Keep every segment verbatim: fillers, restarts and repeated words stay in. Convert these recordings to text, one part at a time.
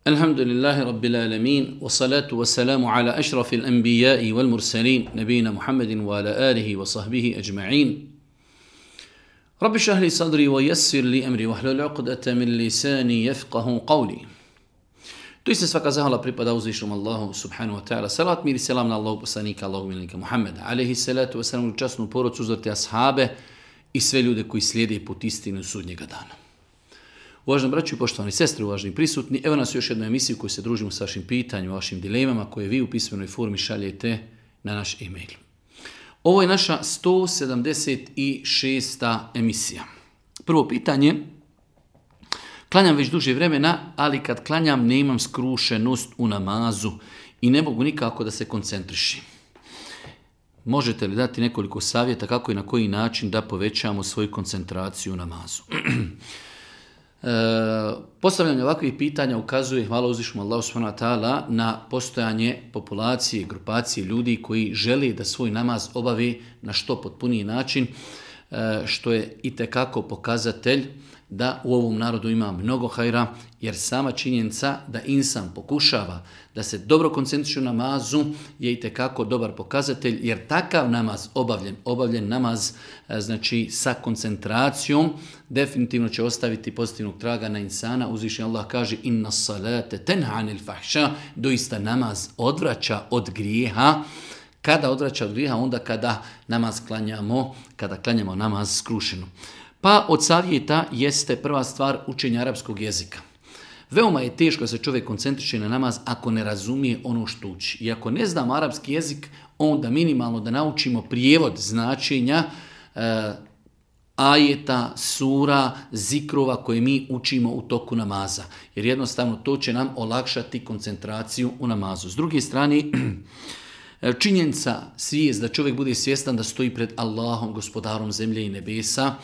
Alhamdulillahi Rabbil alamin, wa salatu wa salamu ala ašrafil anbijai wal mursalin, nabijina Muhammedin wa ala alihi wa sahbihi ajma'in. Rabbi šahli sadri wa yassir li amri wa hlul uqdata min lisani yafqahu qawli. Tu se svaka zahvala pripada uzvišnom Allahu subhanahu wa ta'ala. Salat mir i selam na Allahu poslanika, Allahu milnika Muhammeda, alaihi salatu wa salam, časnu porodcu, uzvrti ashabe i sve ljude koji slijede put istinu sudnjega dana. Uvaženi braću i poštovani sestre, uvaženi prisutni, evo nas u još jednoj emisiji u kojoj se družimo s vašim pitanjima, vašim dilemama koje vi u pismenoj formi šaljete na naš e-mail. Ovo je naša sto sedamdeset šesta emisija. Prvo pitanje. Klanjam već duže vremena, ali kad klanjam nemam skrušenost u namazu i ne mogu nikako da se koncentrišim. Možete li dati nekoliko savjeta kako i na koji način da povećamo svoju koncentraciju u namazu? E, postavljanje ovakvih pitanja ukazuje, hvala uzvišnom Allahu subhanahu wa ta'ala, na postojanje populacije, grupacije ljudi koji žele da svoj namaz obavi na što potpuniji način, e, što je itekako pokazatelj da u ovom narodu ima mnogo hajra, jer sama činjenica da insan pokušava da se dobro koncentriše u namazu je itekako dobar pokazatelj, jer takav namaz obavljen, obavljen namaz znači sa koncentracijom definitivno će ostaviti pozitivnog traga na insana. Uzvišeni Allah kaže inna salate tenha anil fahša, doista namaz odvraća od grijeha. Kada odvraća od grijeha? Onda kada namaz klanjamo, kada klanjamo namaz skrušeno. Pa od savjeta jeste prva stvar učenje arapskog jezika. Veoma je teško da se čovjek koncentriše na namaz ako ne razumije ono što uči. I ako ne znamo arapski jezik, onda minimalno da naučimo prijevod značenja e, ajeta, sura, zikrova koje mi učimo u toku namaza. Jer jednostavno to će nam olakšati koncentraciju u namazu. S druge strane, činjenica, svijest da čovjek bude svjestan da stoji pred Allahom, gospodarom zemlje i nebesa,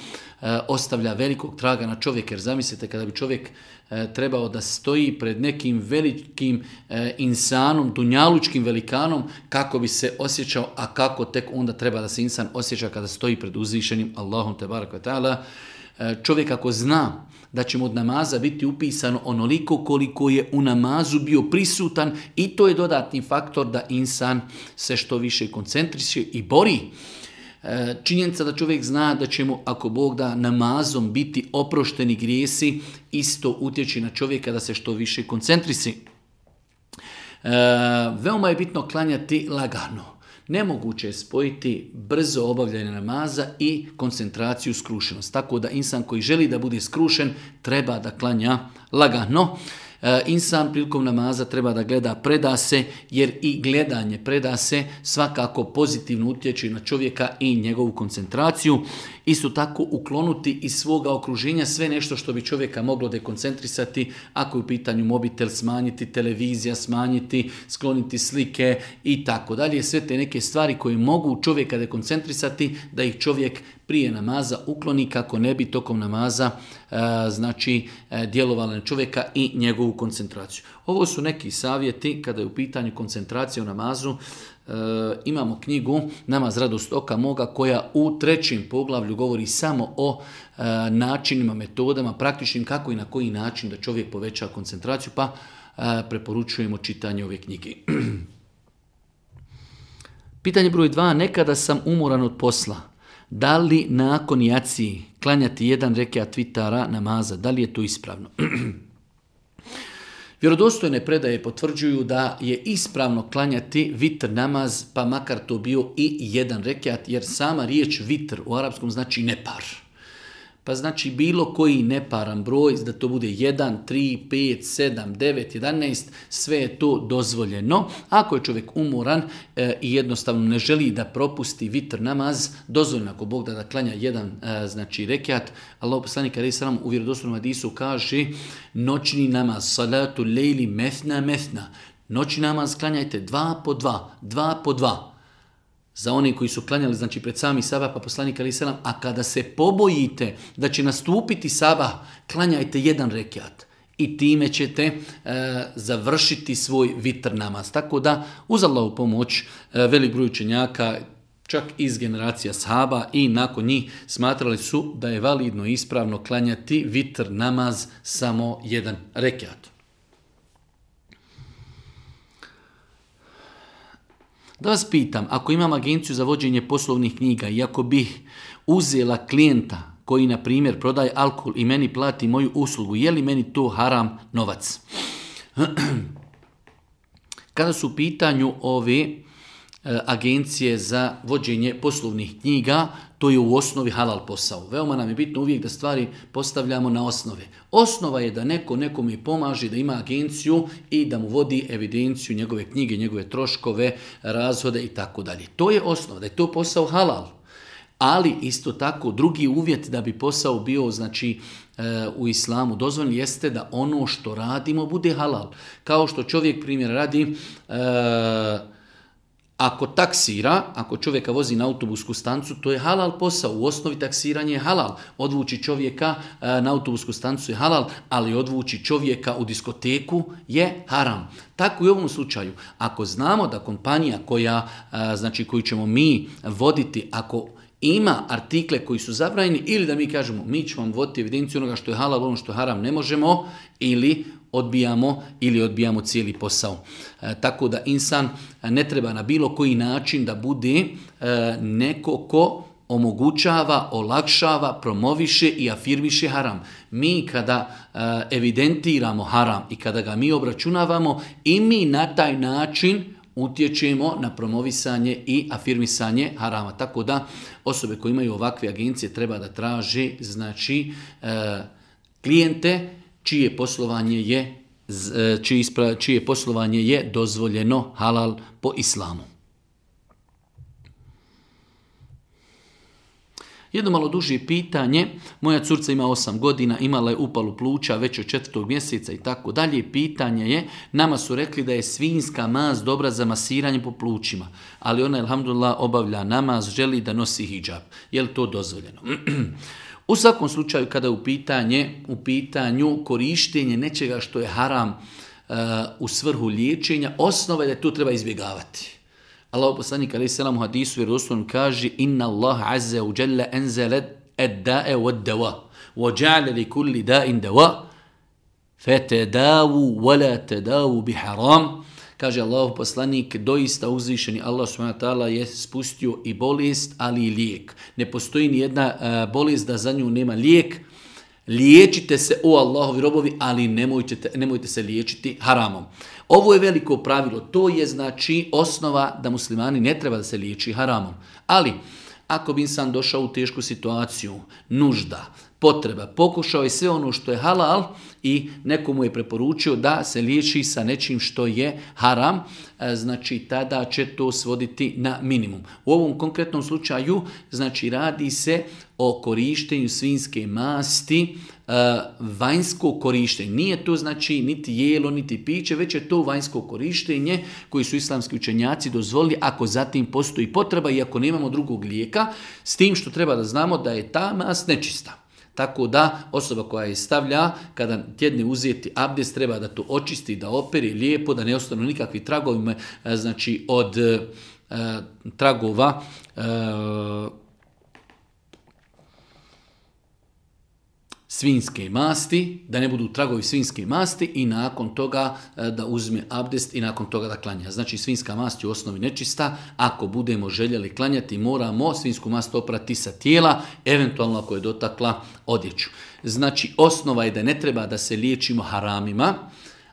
e, ostavlja velikog traga na čovjeka. Jer zamislite kada bi čovjek e, trebao da stoji pred nekim velikim e, insanom, dunjalučkim velikanom, kako bi se osjećao, a kako tek onda treba da se insan osjeća kada stoji pred uzvišenim Allahom te barek ve taala. E, čovjek ako zna da će mu od namaza biti upisano onoliko koliko je u namazu bio prisutan, i to je dodatni faktor da insan se što više koncentriše i bori. E, činjenica da čovjek zna da će mu, ako Bog da, namazom biti oprošteni grijesi, isto utječe na čovjeka da se što više koncentriše. E, veoma je bitno klanjati lagano. Nemoguće je spojiti brzo obavljanje namaza i koncentraciju, skrušenost. Tako da insan koji želi da bude skrušen treba da klanja lagano. E, insan prilikom namaza treba da gleda preda se, jer i gledanje preda se svakako pozitivno utječe na čovjeka i njegovu koncentraciju. Isto tako uklonuti iz svoga okruženja sve nešto što bi čovjeka moglo dekoncentrisati, ako je u pitanju mobitel, smanjiti televizija, smanjiti, skloniti slike i tako dalje. Sve te neke stvari koje mogu čovjeka dekoncentrisati, da ih čovjek prije namaza ukloni kako ne bi tokom namaza e, znači e, djelovalo na čovjeka i njegovu koncentraciju. Ovo su neki savjeti kada je u pitanju koncentracije u namazu. E, imamo knjigu Namaz radost oka moga koja u trećem poglavlju govori samo o e, načinima, metodama, praktičnim kako i na koji način da čovjek poveća koncentraciju, pa e, preporučujemo čitanje ove knjige. Pitanje broj dva. Nekada sam umoran od posla. Da li nakon jacije klanjati jedan rekiat vitara namaza? Da li je to ispravno? Vjerodostojne predaje potvrđuju da je ispravno klanjati vitr namaz, pa makar to bio i jedan rekiat, jer sama riječ vitr u arapskom znači nepar. Pa znači bilo koji neparan broj, da to bude jedan, tri, pet, sedam, devet, jedanaest, sve je to dozvoljeno. Ako je čovjek umoran e, i jednostavno ne želi da propusti vitr namaz, dozvoljeno ako Bog da da klanja jedan e, znači rekiat. Allah poslanik alejhi selam u vjerodostojnom hadisu kaže noćni namaz, salatu lejli methna methna. Noćni namaz klanjajte dva po dva, dva po dva. Za one koji su klanjali znači pred sami sabah, pa poslanik alejhi selam, a kada se pobojite da će nastupiti sabah, klanjajte jedan rekiat i time ćete e, završiti svoj vitr namaz. Tako da uz Allahovu pomoć e, velik broj učenjaka, čak iz generacija sahaba i nakon njih, smatrali su da je validno i ispravno klanjati vitr namaz samo jedan rekiat. Da vas pitam, ako imam agenciju za vođenje poslovnih knjiga i ako bih uzela klijenta koji, na primjer, prodaje alkohol i meni plati moju uslugu, je li meni to haram novac? Kada su u pitanju ove e, agencije za vođenje poslovnih knjiga, to je u osnovi halal posao. Veoma nam je bitno uvijek da stvari postavljamo na osnove. Osnova je da neko nekome pomaže da ima agenciju i da mu vodi evidenciju njegove knjige, njegove troškove, razhode i tako dalje. To je osnova, da je to posao halal. Ali isto tako drugi uvjet da bi posao bio, znači, u islamu dozvoljen jeste da ono što radimo bude halal. Kao što čovjek, primjer radi, ako taksira, ako čovjeka vozi na autobusku stancu, to je halal posao. U osnovi taksiranje je halal. Odvući čovjeka na autobusku stancu je halal, ali odvući čovjeka u diskoteku je haram. Tako i u ovom slučaju. Ako znamo da kompanija koja, znači, koju ćemo mi voditi, ako ima artikle koji su zabranjeni, ili da mi kažemo mi ćemo vam voditi evidenciju onoga što je halal, ono što je haram ne možemo, ili odbijamo ili odbijamo cijeli posao. E, tako da insan ne treba na bilo koji način da bude e, neko ko omogućava, olakšava, promoviše i afirmiše haram. Mi kada e, evidentiramo haram i kada ga mi obračunavamo, i mi na taj način utječemo na promovisanje i afirmisanje harama. Tako da osobe koje imaju ovakve agencije treba da traže, znači, e, klijente čije poslovanje je, čije, ispra, čije poslovanje je dozvoljeno halal po islamu. Jedno malo duže pitanje, moja curca ima osam godina, imala je upalu pluća već od četvrtog mjeseca i tako dalje. Pitanje je, nama su rekli da je svinjska mast dobra za masiranje po plućima, ali ona, alhamdulillah, obavlja namaz, želi da nosi hidžab. Je li to dozvoljeno? U svakom slučaju, kada je u, pitanje, u pitanju korištenje nečega što je haram uh, u svrhu liječenja, osnova je da to treba izbjegavati. Allah poslanik alejhi selam u hadisu vjerodostojnom kaže: Inna Allah azza wa jalla anzala ad-da'a wad-dawa wa ja'ala li kulli da'in dawa fatadawu wa la tadawu bi haram. Kaže Allah poslanik, doista uzvišeni Allah subhanahu wa ta'ala je spustio i bolest, ali i lijek. Ne postoji ni jedna uh, bolest da za nju nema lijek. Liječite se, o Allahovi robovi, ali nemojte, nemojte se liječiti haramom. Ovo je veliko pravilo, to je, znači, osnova da muslimani ne treba da se liječi haramom. Ali ako bi insan došao u tešku situaciju, nužda, potreba, pokušao je sve ono što je halal i nekomu je preporučio da se liječi sa nečim što je haram, znači tada će to svoditi na minimum. U ovom konkretnom slučaju, znači, radi se o korištenju svinjske masti, vanjsko korištenje. Nije to, znači, niti jelo, niti piće, već je to vanjsko korištenje koji su islamski učenjaci dozvolili ako zatim postoji potreba i ako nemamo drugog lijeka, s tim što treba da znamo da je ta mast nečista. Tako da osoba koja je stavlja, kada tjedne uzeti abdest, treba da to očisti, da operi lijepo, da ne ostanu nikakvi tragovi, znači od e, tragova e, svinjske masti, da ne budu tragovi svinjske masti i nakon toga da uzme abdest i nakon toga da klanja. Znači svinjska mast je u osnovi nečista, ako budemo željeli klanjati moramo svinjsku mast oprati sa tijela, eventualno ako je dotakla odjeću. Znači osnova je da ne treba da se liječimo haramima.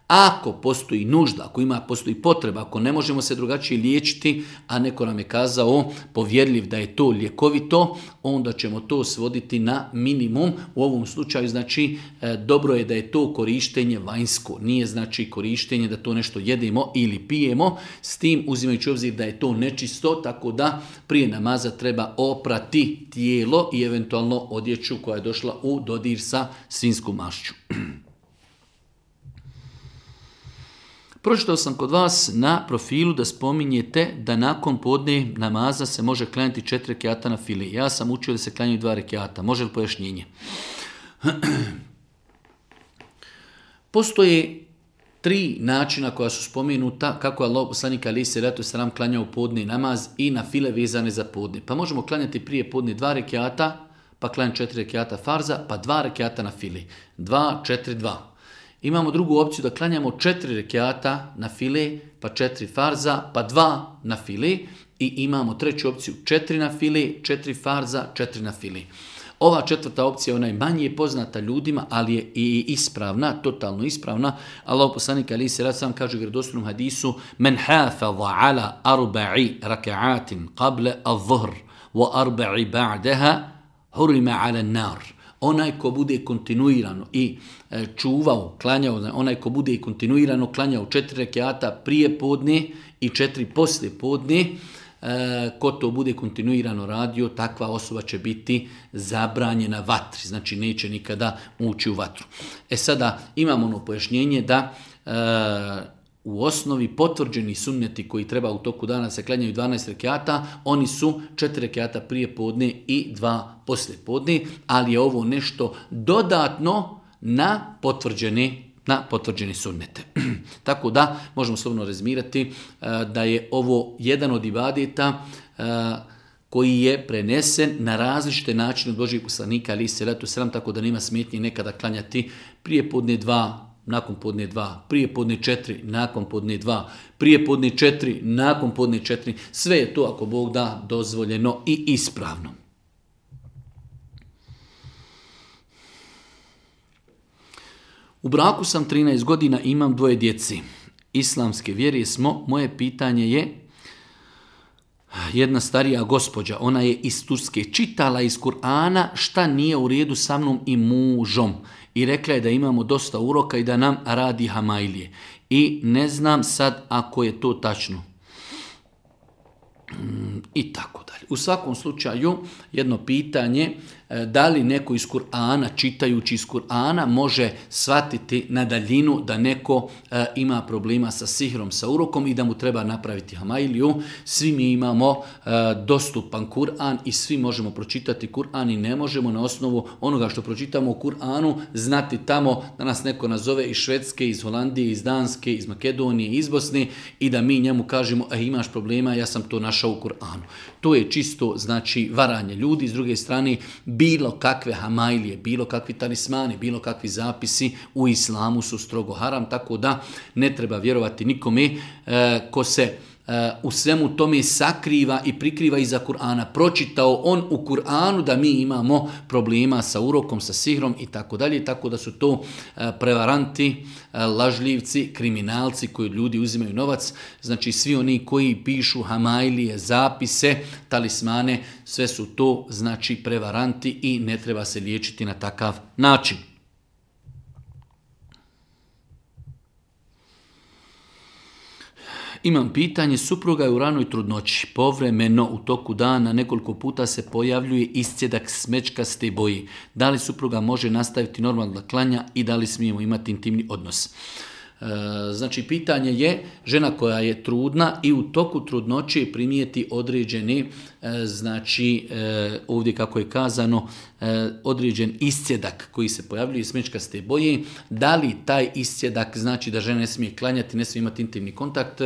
Ako postoji nužda, ako ima postoji potreba, ako ne možemo se drugačije liječiti, a neko nam je kazao povjerljiv da je to ljekovito, onda ćemo to svoditi na minimum. U ovom slučaju, znači, dobro je da je to korištenje vanjsko. Nije, znači, korištenje da to nešto jedemo ili pijemo, s tim uzimajući obzir da je to nečisto, tako da prije namaza treba oprati tijelo i eventualno odjeću koja je došla u dodir sa svinjskom mašću. Pročitao sam kod vas na profilu da spominjete da nakon podne namaza se može klanjati četiri rekjata na fili. Ja sam učio da se klanjaju dva rekjata. Može li pojašnjenje? Postoje tri načina koja su spomenuta kako je Allah poslanik alejhi selatu vesselam klanjao podne namaz i na file vezane za podne. Pa možemo klanjati prije podne dva rekjata, pa klanjati četiri rekjata farza, pa dva rekjata na fili. Dva, četiri, dva. Imamo drugu opciju da klanjamo četiri rekiata na file, pa četiri farza, pa dva na file. I imamo treću opciju četiri na file, četiri farza, četiri na file. Ova četvrta opcija, ona je manje poznata ljudima, ali je i ispravna, totalno ispravna. Allahu poslanik alejhi selatu vesselam kaže u vjerodostojnom hadisu: "Men hafaza ala arba'i rak'atin qabla adh-dhuhr wa arba'i ba'daha hurima 'ala an-nar." Onaj ko bude kontinuirano i čuvao, klanjao, onaj ko bude kontinuirano klanjao četiri rekiata prije podne i četiri poslije podne, ko to bude kontinuirano radio, takva osoba će biti zabranjena vatri, znači neće nikada ući u vatru. E sada imamo ono pojašnjenje da e, u osnovi potvrđeni sunneti koji treba u toku dana se klanjaju dvanaest rekiata, oni su četiri rekiata prije podne i dva poslije podne, ali je ovo nešto dodatno na potvrđene na potvrđeni sunnete. Tako da možemo slobodno rezimirati da je ovo jedan od ibadeta koji je prenesen na različite načine od Božijeg poslanika alejhi selatu selam, tako da nema smetnje nekada klanjati prije podne dva, nakon podne dva, prije podne četiri, nakon podne dva, prije podne četiri, nakon podne četiri. Sve je to, ako Bog da, dozvoljeno i ispravno. U braku sam trinaest godina i imam dvoje djeci. Islamske vjere smo. Moje pitanje je, jedna starija gospođa, ona je iz Turske, čitala iz Kur'ana šta nije u redu sa mnom i mužom. I rekla je da imamo dosta uroka i da nam radi hamajlije. I ne znam sad ako je to tačno. I tako dalje. U svakom slučaju, jedno pitanje, da li neko iz Kur'ana, čitajući iz Kur'ana, može shvatiti na daljinu da neko e, ima problema sa sihrom, sa urokom i da mu treba napraviti hamajliju. Svi mi imamo e, dostupan Kur'an i svi možemo pročitati Kur'an i ne možemo na osnovu onoga što pročitamo u Kur'anu znati tamo da nas neko nazove iz Švedske, iz Holandije, iz Danske, iz Makedonije, iz Bosne i da mi njemu kažemo, e, imaš problema, ja sam to našao u Kur'anu. To je čisto, znači, varanje ljudi. S druge strane, bilo kakve hamajlije, bilo kakvi talismani, bilo kakvi zapisi u islamu su strogo haram, tako da ne treba vjerovati nikome e, ko se e, u svemu tome sakriva i prikriva iza Kur'ana. Pročitao on u Kur'anu da mi imamo problema sa urokom, sa sihrom i tako dalje, tako da su to e, prevaranti, e, lažljivci, kriminalci koji ljudi uzimaju novac. Znači svi oni koji pišu hamajlije, zapise, talismane, sve su to znači prevaranti i ne treba se liječiti na takav način. Imam pitanje, supruga je u ranoj trudnoći, povremeno u toku dana nekoliko puta se pojavljuje iscjedak smećkaste boje. Da li supruga može nastaviti normalno da klanja i da li smijemo imati intimni odnos? Znači, pitanje je žena koja je trudna i u toku trudnoće primijeti određeni, znači ovdje kako je kazano, određen iscjedak koji se pojavljuje iz smećkaste boje. Da li taj iscjedak znači da žena ne smije klanjati, ne smije imati intimni kontakt?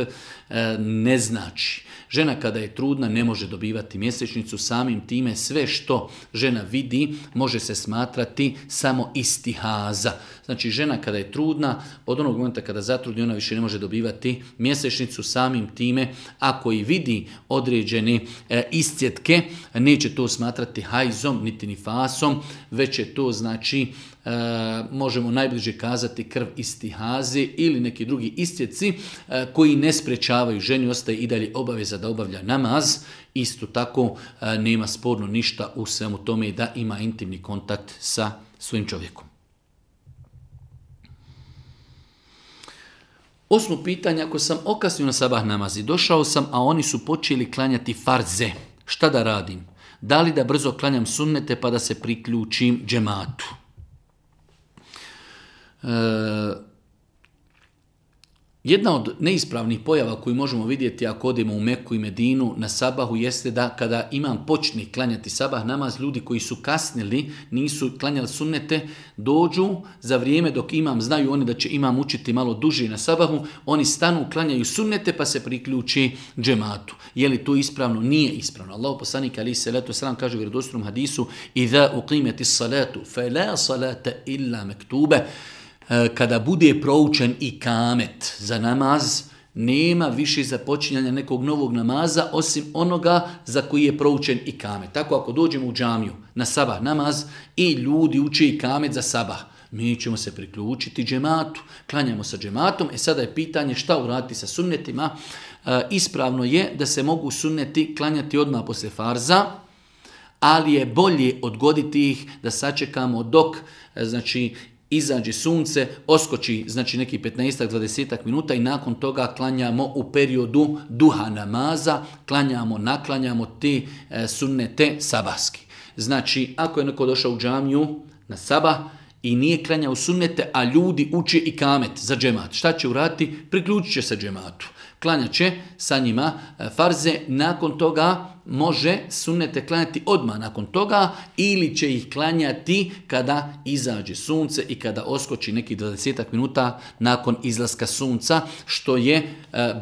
Ne znači. Žena kada je trudna ne može dobivati mjesečnicu, samim time sve što žena vidi može se smatrati samo istihaza. Znači žena kada je trudna, od onog momenta kada zatrudni ona više ne može dobivati mjesečnicu, samim time ako i vidi određene e, iscjetke, neće to smatrati hajzom niti nifasom, već je to znači e, možemo najbliže kazati krv istihaze ili neki drugi iscjetci e, koji ne sprečavaju ženi, ostaje i dalje obaveza da obavlja namaz. Isto tako e, nema sporno ništa u svemu tome da ima intimni kontakt sa svojim čovjekom. Osmo pitanje, ako sam okasnio na sabah namaz i došao sam, a oni su počeli klanjati farze, šta da radim? Da li da brzo klanjam sunnete pa da se priključim džematu? E, jedna od neispravnih pojava koju možemo vidjeti ako odemo u Meku i Medinu na sabahu jeste da kada imam počne klanjati sabah namaz, ljudi koji su kasnili, nisu klanjali sunnete, dođu za vrijeme dok imam, znaju oni da će imam učiti malo duže na sabahu, oni stanu, klanjaju sunnete pa se priključi džematu. Je li to ispravno? Nije ispravno. Allahu poslanik alejhi selatu selam kaže u vjerodostojnom hadisu: "Iza uqimatis salatu fala salata illa maktube." kada bude proučen i kamet za namaz, nema više započinjanja nekog novog namaza osim onoga za koji je proučen i kamet. Tako ako dođemo u džamiju na sabah namaz i ljudi uče i kamet za sabah, mi ćemo se priključiti džematu, klanjamo sa džematom. E sada je pitanje šta uraditi sa sunnetima. E, ispravno je da se mogu sunneti klanjati odmah posle farza, ali je bolje odgoditi ih da sačekamo dok znači izađe sunce, oskoči znači neki petnaest do dvadeset minuta i nakon toga klanjamo u periodu duha namaza, klanjamo, naklanjamo te e, sunnete sabahski. Znači, ako je neko došao u džamiju na sabah i nije klanjao sunnete, a ljudi uče i kamet za džemat, šta će uraditi? Priključit će se džematu. Klanjat će sa njima farze, nakon toga može sunnete klanjati odmah nakon toga ili će ih klanjati kada izađe sunce i kada oskoči neki dvadeset minuta nakon izlaska sunca, što je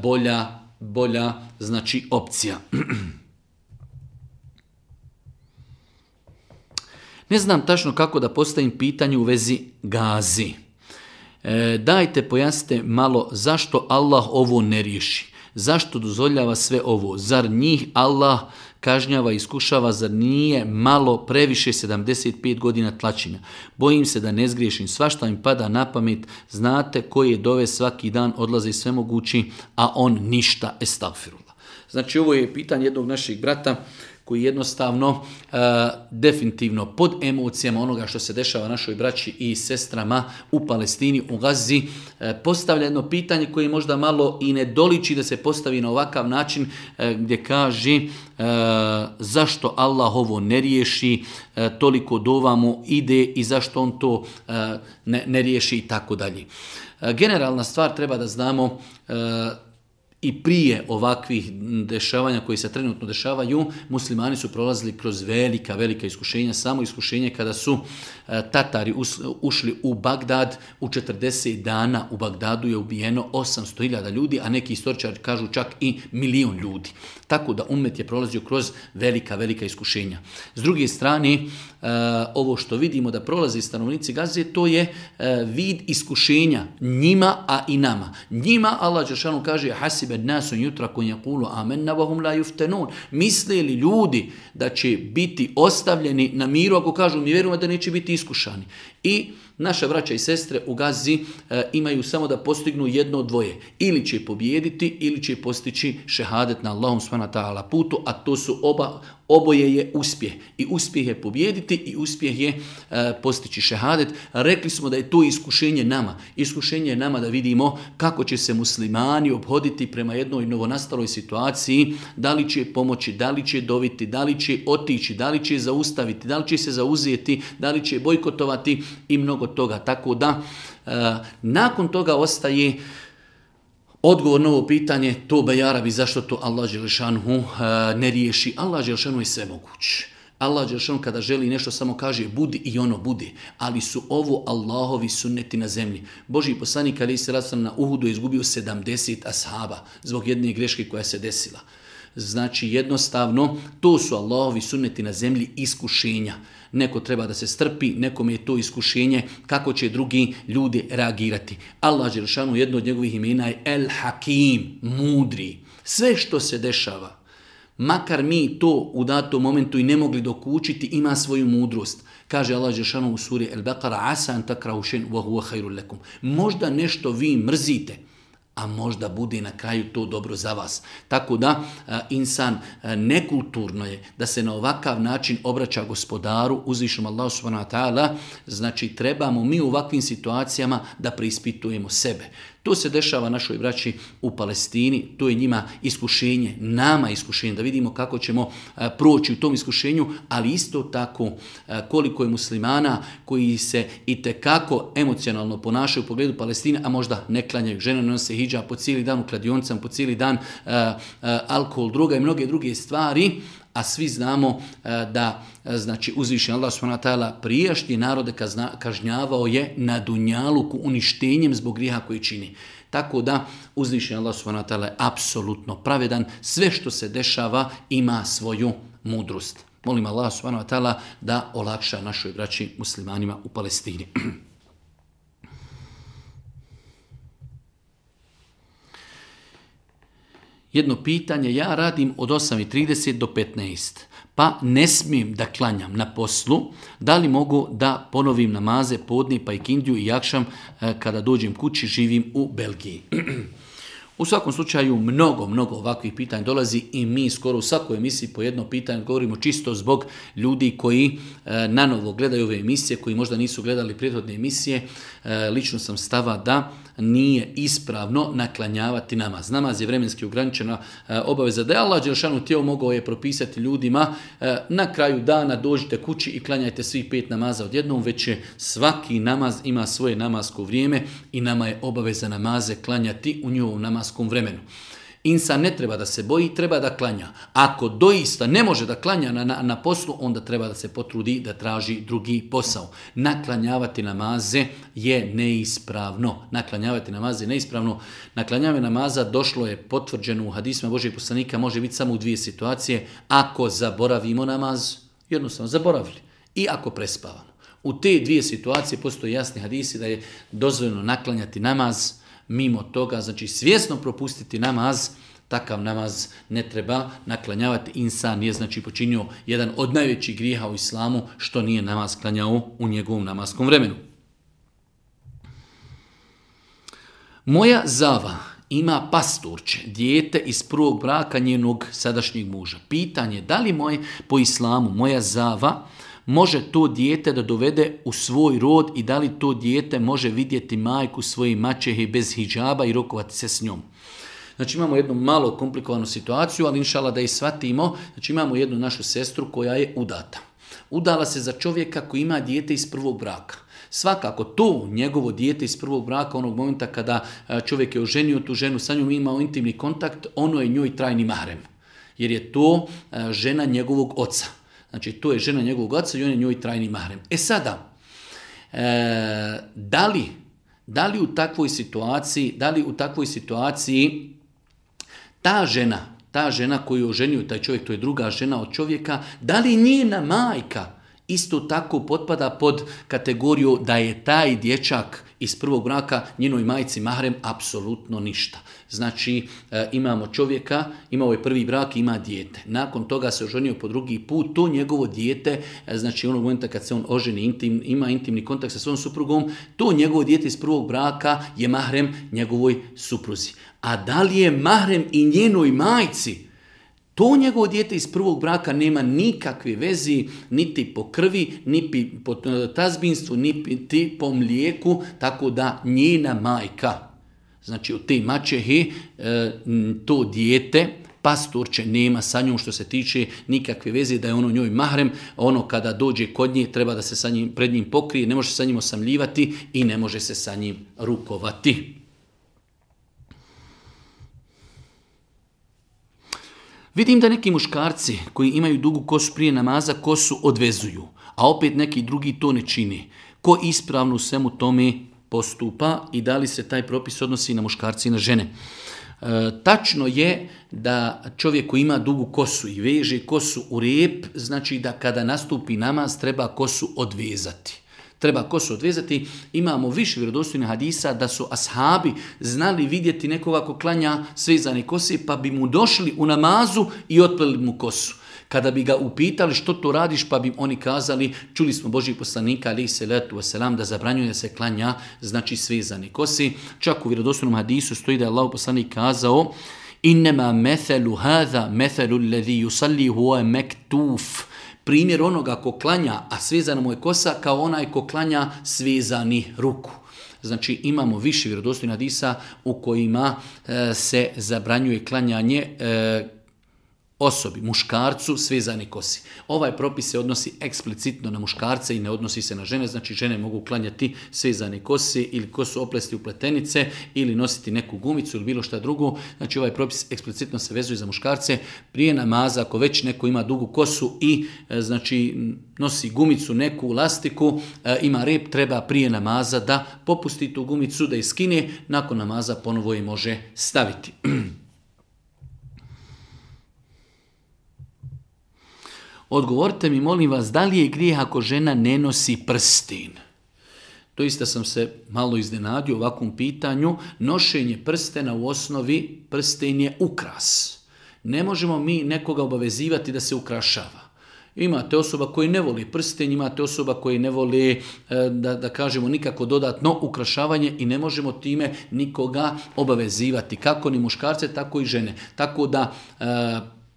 bolja, bolja znači opcija. Ne znam tačno kako da postavim pitanje u vezi gazi. E, dajte pojasnite malo zašto Allah ovo ne riješi. Zašto dozvoljava sve ovo? Zar njih Allah kažnjava i iskušava? Zar nije malo previše sedamdeset pet godina tlačenja? Bojim se da ne zgriješim. Svašta im pada na pamet. Znate koje dove svaki dan odlaze sve mogući, a on ništa. Estagfirullah. Znači ovo je pitanje jednog našeg brata koji jednostavno e, definitivno pod emocijama onoga što se dešava našoj braći i sestrama u Palestini, u Gazi, e, postavlja jedno pitanje koje možda malo i ne doliči da se postavi na ovakav način, e, gdje kaže e, zašto Allah ovo ne riješi, e, toliko dova mu ide i zašto on to e, ne, ne riješi i tako dalje. E, generalna stvar treba da znamo e, i prije ovakvih dešavanja koji se trenutno dešavaju, muslimani su prolazili kroz velika, velika iskušenja. Samo iskušenje kada su Tatari ušli u Bagdad, u četrdeset dana u Bagdadu je ubijeno osamsto hiljada ljudi, a neki istoričari kažu čak i milion ljudi. Tako da ummet je prolazio kroz velika, velika iskušenja. S druge strane, ovo što vidimo da prolazi stanovnici Gaze, to je vid iskušenja njima, a i nama. Njima Allah dželešanu kaže hasibe nasu yutrakun yaqulu amanna wa hum la yuftanun. Misle li ljudi da će biti ostavljeni na miru ako kažu mi vjerujemo da neće biti iskušani? I naša braća i sestre u Gazi e, imaju samo da postignu jedno od dvoje. Ili će pobijediti, ili će postići šehadet na Allahom subhanahu wa ta'ala putu, a to su oba, oboje je uspjeh. I uspjeh je pobijediti i uspjeh je e, postići šehadet. Rekli smo da je to iskušenje nama. Iskušenje je nama da vidimo kako će se muslimani obhoditi prema jednoj novonastaloj situaciji, da li će pomoći, da li će doviti, da li će otići, da li će zaustaviti, da li će se zauzeti, da li će bojkotovati i mnogo toga. Tako da, e, nakon toga ostaje odgovor na ovo pitanje, tobe ja Rabi, zašto to Allah dželešanhu e, ne riješi? Allah dželešanhu je sve moguć. Allah dželešanhu kada želi nešto samo kaže budi i ono bude. Ali su ovo Allahovi sunneti na zemlji. Božji poslanik alejhi selatu selam na Uhudu je izgubio sedamdeset ashaba zbog jedne greške koja se desila. Znači jednostavno to su Allahovi sunneti na zemlji iskušenja. Neko treba da se strpi, nekome je to iskušenje, kako će drugi ljudi reagirati. Allah dželešanu, jedno od njegovih imena je El Hakim, mudri. Sve što se dešava, makar mi to u datom momentu i ne mogli dokučiti, ima svoju mudrost. Kaže Allah dželešanu u suri El Beqara, asa an takrahu shay'an wa huwa khairul lakum. Možda nešto vi mrzite, a možda bude na kraju to dobro za vas. Tako da a, insan a, nekulturno je da se na ovakav način obraća gospodaru, uzvišenom Allahu subhanahu wa ta'ala. Znači trebamo mi u ovakvim situacijama da preispitujemo sebe. To se dešava našoj braći u Palestini, to je njima iskušenje, nama iskušenje, da vidimo kako ćemo a, proći u tom iskušenju, ali isto tako a, koliko je muslimana koji se itekako emocionalno ponašaju u pogledu Palestine, a možda ne klanjaju. Žene nose hidžab po cijeli dan u kladionicama, po cijeli dan a, a, alkohol, droga i mnoge druge stvari, a svi znamo a, da a, znači uzvišeni Allah subhanahu wa ta'ala prijašnje narode kazna, kažnjavao je na dunjaluku uništenjem zbog grijeha koji čini. Tako da uzvišeni Allah subhanahu wa ta'ala je apsolutno pravedan. Sve što se dešava ima svoju mudrost. Molim Allah subhanahu wa ta'ala da olakša našoj braći muslimanima u Palestini. jedno pitanje, ja radim od osam i trideset do petnaest, pa ne smijem da klanjam na poslu, da li mogu da ponovim namaze podne pa i kindiju i jakšam kada dođem kući, živim u Belgiji. U svakom slučaju mnogo, mnogo ovakvih pitanja dolazi i mi skoro u svakoj emisiji po jedno pitanje govorimo čisto zbog ljudi koji e, nanovo gledaju ove emisije, koji možda nisu gledali prethodne emisije. E, lično sam stava da nije ispravno naklanjavati namaz. Namaz je vremenski ograničena e, obaveza da je Allah dželešanu htio, mogao je propisati ljudima e, na kraju dana dođite kući i klanjajte svih pet namaza odjednom, već je svaki namaz ima svoje namasko vrijeme i nama je obaveza namaze klanjati u njihovom namaskom vremenu. Insan ne treba da se boji, treba da klanja. Ako doista ne može da klanja na, na, na poslu, onda treba da se potrudi da traži drugi posao. Naklanjavati namaze je neispravno. Naklanjavati namaze je neispravno. Naklanjavanje namaza došlo je potvrđeno u hadisima Božijeg poslanika, može biti samo u dvije situacije. Ako zaboravimo namaz, jednostavno zaboravili. I ako prespavamo. U te dvije situacije postoje jasni hadisi da je dozvoljeno naklanjati namaz. Mimo toga, znači svjesno propustiti namaz, takav namaz ne treba naklanjavati. Insan je znači počinio jedan od najvećih grijeha u islamu što nije namaz klanjao u njegovom namaskom vremenu. Moja zava ima pastorče, dijete iz prvog braka njenog sadašnjeg muža. Pitanje da li moj, po islamu moja zava može to dijete da dovede u svoj rod i da li to dijete može vidjeti majku svoje maćehe bez hidžaba i rokovati se s njom. Znači imamo jednu malo komplikovanu situaciju, ali inšala da i shvatimo, znači imamo jednu našu sestru koja je udata. Udala se za čovjeka koji ima dijete iz prvog braka. Svakako to njegovo dijete iz prvog braka, onog momenta kada čovjek je oženio tu ženu, sa njom imao intimni kontakt, ono je njoj trajni mahrem. Jer je to žena njegovog oca. Znači, to je žena njegovog oca i on je njoj trajni mahrem. E sada, e, da li, da li u takvoj situaciji, da li u takvoj situaciji ta žena, ta žena koju je oženio taj čovjek, to je druga žena od čovjeka, da li njena majka isto tako potpada pod kategoriju da je taj dječak iz prvog braka njenoj majci mahrem? Apsolutno ništa. Znači e, imamo čovjeka, imao je prvi brak i ima dijete. Nakon toga se oženio po drugi put, to njegovo dijete, e, znači onog momenta kad se on oženi, intim, ima intimni kontakt sa svojom suprugom, to njegovo dijete iz prvog braka je mahrem njegovoj supruzi. A da li je mahrem i njenoj majci? To njegovo dijete iz prvog braka nema nikakve vezi niti po krvi, niti po tazbinstvu, niti po mlijeku, tako da njena majka, znači od te maćehe, to dijete, pastorče nema sa njom što se tiče nikakve veze da je ono njoj mahrem, ono kada dođe kod nje treba da se sa njim, pred njim pokrije, ne može se sa njim osamljivati i ne može se sa njim rukovati. Vidim da neki muškarci koji imaju dugu kosu prije namaza kosu odvezuju, a opet neki drugi to ne čini. Ko ispravno u svemu tome postupa i da li se taj propis odnosi na muškarci i na žene? E, tačno je da čovjek koji ima dugu kosu i veže kosu u rep, znači da kada nastupi namaz treba kosu odvezati. Treba kosu odvezati. Imamo više vjerodostojnih hadisa da su ashabi znali vidjeti nekoga ko klanja svezane kose, pa bi mu došli u namazu i otpleli mu kosu. Kada bi ga upitali što to radiš, pa bi oni kazali, čuli smo Božjih poslanika, alejhi selatu vesselam, da zabranjuje da se klanja, znači svezane kose. Čak u vjerodostojnom hadisu stoji da je Allahov poslanik kazao: "Innema methelu hadha methelu alladhi yusalli huwa maktuf." Primjer onoga ko klanja, a svezana mu je kosa, kao onaj ko klanja svezani ruku. Znači imamo više vjerodostojnih hadisa u kojima e, se zabranjuje klanjanje e, osobi, muškarcu, svezani kosi. Ovaj propis se odnosi eksplicitno na muškarce i ne odnosi se na žene, znači žene mogu klanjati svezane kose ili kosu oplesti u pletenice ili nositi neku gumicu ili bilo šta drugo. Znači ovaj propis eksplicitno se vezuje za muškarce. Prije namaza, ako već neko ima dugu kosu i znači nosi gumicu, neku lastiku, ima rep, treba prije namaza da popusti tu gumicu, da je skine, nakon namaza ponovo je može staviti. Odgovorite mi, molim vas, da li je grijeh ako žena ne nosi prsten? Doista sam se malo iznenadio ovakvom pitanju. Nošenje prstena u osnovi, prsten je ukras. Ne možemo mi nekoga obavezivati da se ukrašava. Imate osoba koji ne voli prsten, imate osoba koji ne voli, da, da kažemo, nikako dodatno ukrašavanje i ne možemo time nikoga obavezivati. Kako ni muškarce, tako i žene. Tako da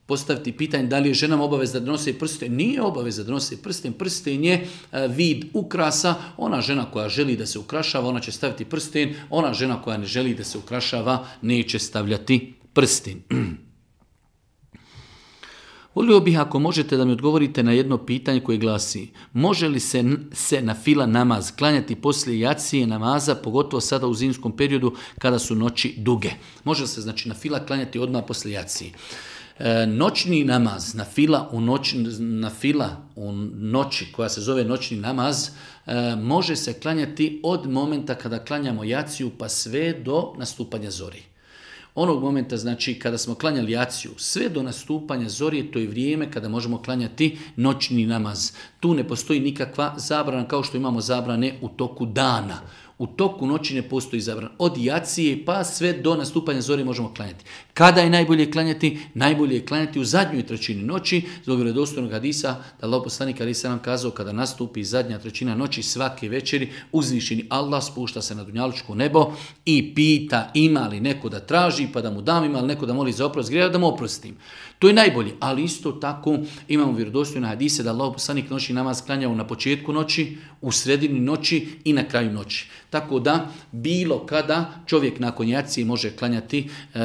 postaviti pitanje da li je ženama obaveza da nose prsten. Nije obaveza da nose prsten. Prsten je vid ukrasa. Ona žena koja želi da se ukrašava, ona će staviti prsten. Ona žena koja ne želi da se ukrašava, neće stavljati prsten. Volio bih ako možete da mi odgovorite na jedno pitanje koje glasi: može li se, se na fila namaz klanjati poslije jacije namaza, pogotovo sada u zimskom periodu kada su noći duge? Može li se znači na fila klanjati odmah poslije jacije? E, noćni namaz, na fila u noć, na fila u noći koja se zove noćni namaz, e, može se klanjati od momenta kada klanjamo jaciju pa sve do nastupanja zori. Onog momenta, znači, kada smo klanjali jaciju, sve do nastupanja zori, to je vrijeme kada možemo klanjati noćni namaz. Tu ne postoji nikakva zabrana, kao što imamo zabrane u toku dana. U toku noći ne postoji zabrana. Od jacije pa sve do nastupanja zori možemo klanjati. Kada je najbolje klanjati? Najbolje je klanjati u zadnjoj trećini noći, zbog vjerodostojnog hadisa, da Allahov poslanik alejhi selam kazao, kada nastupi zadnja trećina noći svake večeri, uzvišeni Allah spušta se na dunjalučko nebo i pita ima li neko da traži, pa da mu dam, ima li neko da moli za oprost grijeha, da mu oprostim. To je najbolje, ali isto tako imamo vjerodostojne hadise da Allahov poslanik noćni namaz klanjao na početku noći, u sredini noći i na kraju noći. Tako da bilo kada čovjek nakon jacije može klanjati e,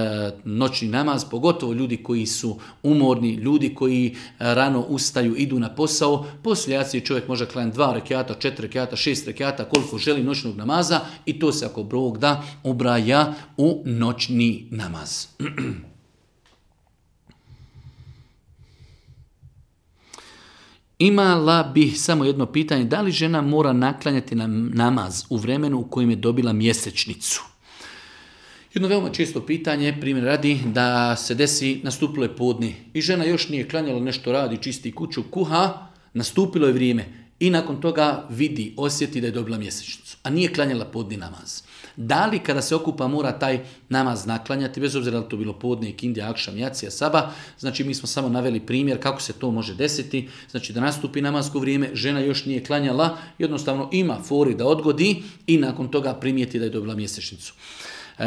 noćni namaz, pogotovo ljudi koji su umorni, ljudi koji rano ustaju, idu na posao, poslije jacije čovjek može klanjati dva rekata, četiri rekata, šest rekata, koliko želi noćnog namaza i to se ako Bog da ubraja u noćni namaz. Imala bih samo jedno pitanje, da li žena mora naklanjati na namaz u vremenu u kojem je dobila mjesečnicu? Jedno veoma često pitanje, primjer radi, da se desi, nastupilo je podne i žena još nije klanjala, nešto radi, čisti kuću, kuha, nastupilo je vrijeme i nakon toga vidi, osjeti da je dobila mjesečnicu, a nije klanjala podni namaz. Da li kada se okupa mora taj namaz naklanjati, bez obzira da li to bilo podne, ikindija, akšam, jacija, saba, znači mi smo samo naveli primjer kako se to može desiti, znači da nastupi namasko vrijeme, žena još nije klanjala, jednostavno ima fori da odgodi i nakon toga primijeti da je dobila mjesečnicu.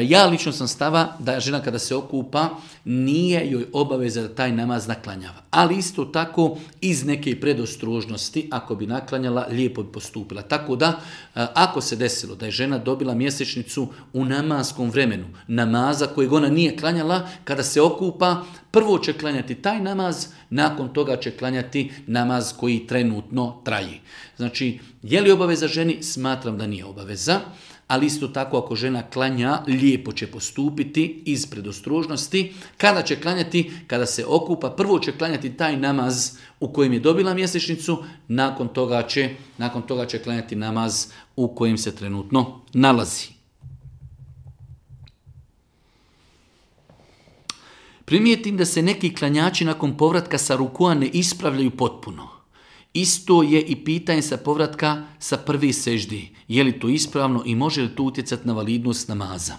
Ja lično sam stava da žena kada se okupa nije joj obaveza da taj namaz naklanjava. Ali isto tako iz neke predostrožnosti ako bi naklanjala lijepo bi postupila. Tako da ako se desilo da je žena dobila mjesečnicu u namaskom vremenu, namaza kojeg ona nije klanjala, kada se okupa prvo će klanjati taj namaz, nakon toga će klanjati namaz koji trenutno traji. Znači je li obaveza ženi? Smatram da nije obaveza. Ali isto tako ako žena klanja, lijepo će postupiti iz predostrožnosti. Kada će klanjati? Kada se okupa, prvo će klanjati taj namaz u kojem je dobila mjesečnicu, nakon toga će, nakon toga će klanjati namaz u kojem se trenutno nalazi. Primijetim da se neki klanjači nakon povratka sa rukua ne ispravljaju potpuno. Isto je i pitanje sa povratka sa prve seždi. Je li to ispravno i može li to utjecati na validnost namaza?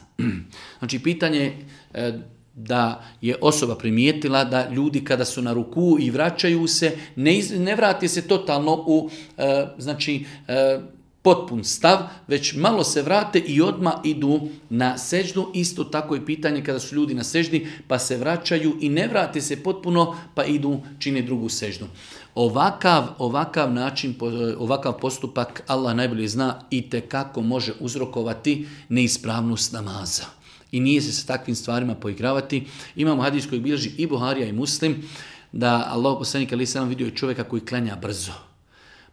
Znači pitanje je da je osoba primijetila da ljudi kada su na ruku i vraćaju se, ne, iz, ne vrati se totalno u znači, potpun stav, već malo se vrate i odmah idu na seždu. Isto tako je pitanje kada su ljudi na seždi pa se vraćaju i ne vrate se potpuno pa idu čine drugu seždu. Ovakav, ovakav način, ovakav postupak Allah najbolje zna i tekako može uzrokovati neispravnost namaza. I nije se sa takvim stvarima poigravati. Imamo hadis koji bilježi i Buharija i Muslim da Allahov poslanik alejhi selam vidio čovjeka koji klanja brzo.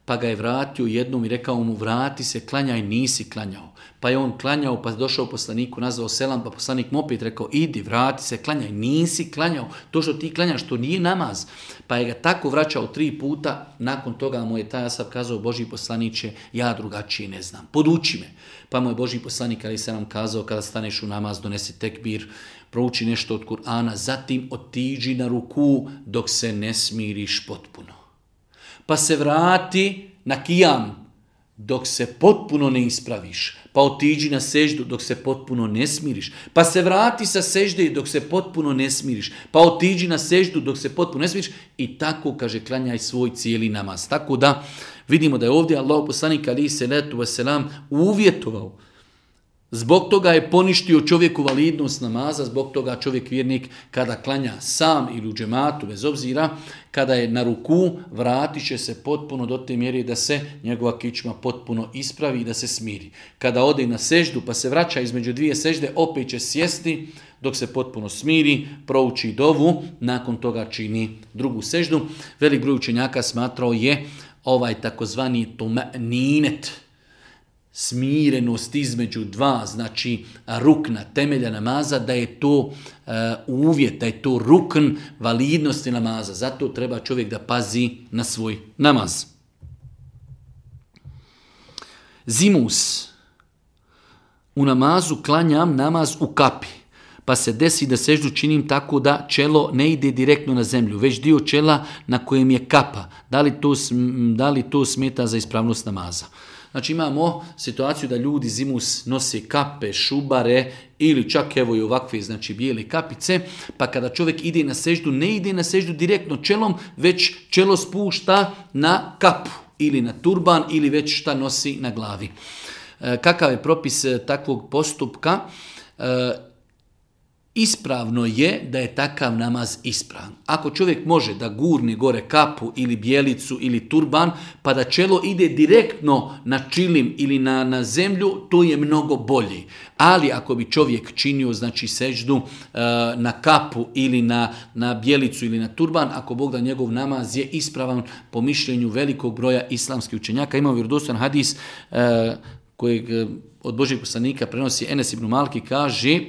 Pa ga je vratio jednom i rekao mu vrati se, klanjaj, nisi klanjao. Pa je on klanjao, pa došao poslaniku, nazvao selam, pa poslanik mu opet rekao idi, vrati se, klanjaj, nisi klanjao. To što ti klanjaš, to nije namaz. Pa je ga tako vraćao tri puta, nakon toga mu je taj asab kazao Božji poslaniće, ja drugačije ne znam, poduči me. Pa mu je Božji poslanik alejhi selam kazao kada staneš u namaz, donesi tekbir, prouči nešto od Kur'ana, zatim otiđi na ruku dok se ne smiriš potpuno. Pa se vrati na kijam, dok se potpuno ne ispraviš, pa otiđi na seždu dok se potpuno ne smiriš, pa se vrati sa sežde dok se potpuno ne smiriš, pa otiđi na seždu dok se potpuno ne smiriš i tako, kaže, klanjaj svoj cijeli namaz. Tako da vidimo da je ovdje Allahov poslanik alejhi selatu vesselam uvjetovao. Zbog toga je poništio čovjeku validnost namaza, zbog toga čovjek vjernik kada klanja sam ili u džematu, bez obzira, kada je na ruku, vratit će se potpuno do te mjere da se njegova kičma potpuno ispravi i da se smiri. Kada ode na seždu pa se vraća između dvije sežde, opet će sjesti dok se potpuno smiri, prouči dovu, nakon toga čini drugu seždu. Velik broj učenjaka smatrao je ovaj takozvani tuma'ninet, smirenost između dva, znači rukna, temelja namaza, da je to uh, uvjet, da je to rukn validnosti namaza. Zato treba čovjek da pazi na svoj namaz. Zimus. U namazu klanjam namaz u kapi, pa se desi da seždu činim tako da čelo ne ide direktno na zemlju, već dio čela na kojem je kapa. Da li to, da li to smeta za ispravnost namaza? Znači imamo situaciju da ljudi zimus nose kape, šubare ili čak evo i ovakve, znači bijele kapice, pa kada čovjek ide na seždu, ne ide na seždu direktno čelom, već čelo spušta na kapu ili na turban ili već šta nosi na glavi. E, kakav je propis takvog postupka? E, Ispravno je da je takav namaz ispravan. Ako čovjek može da gurne gore kapu ili bijelicu ili turban, pa da čelo ide direktno na čilim ili na, na zemlju, to je mnogo bolji. Ali ako bi čovjek činio, znači, seždu e, na kapu ili na, na bijelicu ili na turban, ako Bog da, njegov namaz je ispravan po mišljenju velikog broja islamskih učenjaka. Ima vjerodostojan hadis e, kojeg od Božjeg poslanika prenosi Enes ibn Malki, kaže: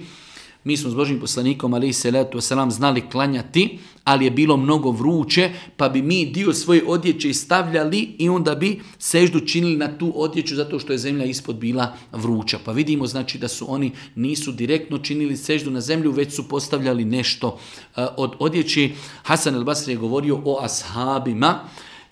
mi smo s Božjim poslanikom alejhi selatu vesselam znali klanjati, ali je bilo mnogo vruće, pa bi mi dio svoje odjeće stavljali i onda bi seždu činili na tu odjeću zato što je zemlja ispod bila vruća. Pa vidimo, znači, da su oni nisu direktno činili seždu na zemlju, već su postavljali nešto uh, od odjeće. Hasan el-Basri je govorio o ashabima: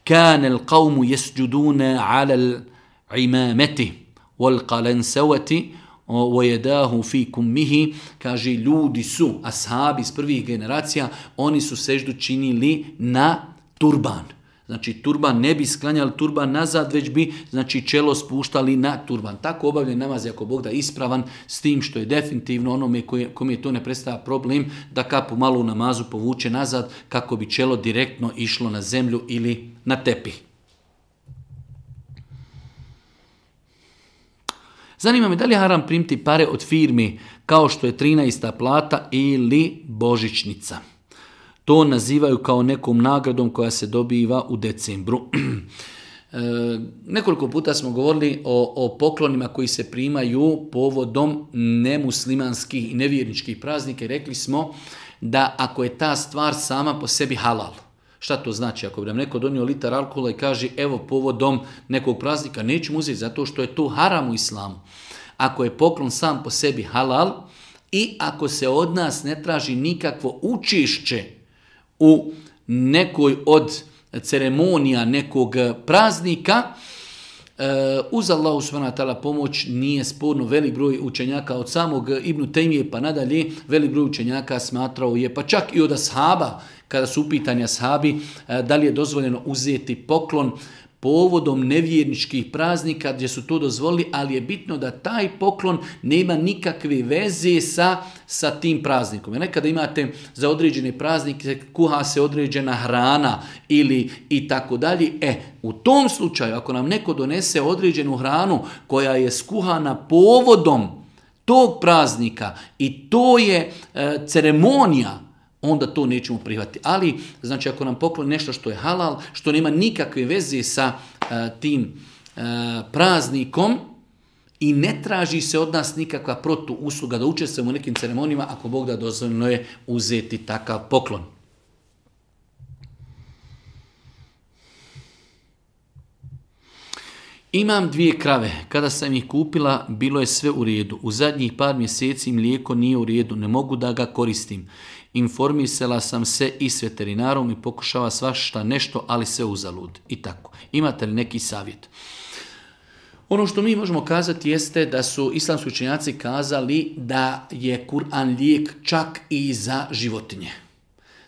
kana al-qawmu yasjuduna 'ala al-imamati wal-qalansawati وَيَدَاهُ فِي كُمِّهِ. Kaže, ljudi su, ashabi iz prvih generacija, oni su seždu činili na turban. Znači, turban, ne bi sklanjali turban nazad, već bi, znači, čelo spuštali na turban. Tako obavljen namaz, ako Bog da, ispravan, s tim što je definitivno onome kome to ne predstavlja problem, da kapu malo u namazu povuče nazad, kako bi čelo direktno išlo na zemlju ili na tepih. Zanima me da li je haram primiti pare od firmi kao što je trinaesta plata ili božićnica. To nazivaju kao nekom nagradom koja se dobiva u decembru. E, nekoliko puta smo govorili o, o poklonima koji se primaju povodom nemuslimanskih i nevjerničkih praznika i rekli smo da ako je ta stvar sama po sebi halal. Šta to znači? Ako bi nam neko donio litar alkohola i kaže evo povodom nekog praznika, nećemo uzeti zato što je to haram u islamu. Ako je poklon sam po sebi halal i ako se od nas ne traži nikakvo učešće u nekoj od ceremonija nekog praznika, uz Allahu subhanahu wa ta'ala pomoć nije sporno. Velik broj učenjaka od samog Ibn Tejmije pa nadalje, velik broj učenjaka smatrao je, pa čak i od ashaba, kada su upitani ashabi, da li je dozvoljeno uzeti poklon povodom nevjerničkih praznika gdje su to dozvolili, ali je bitno da taj poklon nema nikakve veze sa, sa tim praznikom. Jer nekada imate za određene praznike, kuha se određena hrana ili i tako dalje. E, u tom slučaju, ako nam neko donese određenu hranu koja je skuhana povodom tog praznika i to je e, ceremonija, onda to nećemo prihvatiti. Ali, znači, ako nam pokloni nešto što je halal, što nema nikakve veze sa uh, tim uh, praznikom i ne traži se od nas nikakva protuusluga da učestvujemo u nekim ceremonijama, ako Bog da, dozvoljeno je uzeti takav poklon. Imam dvije krave. Kada sam ih kupila, bilo je sve u redu. U zadnjih par mjeseci mlijeko nije u redu. Ne mogu da ga koristim. Informisala sam se i s veterinarom i pokušava svašta nešto, ali sve uzalud. I tako. Imate li neki savjet? Ono što mi možemo kazati jeste da su islamski učenjaci kazali da je Kur'an lijek čak i za životinje.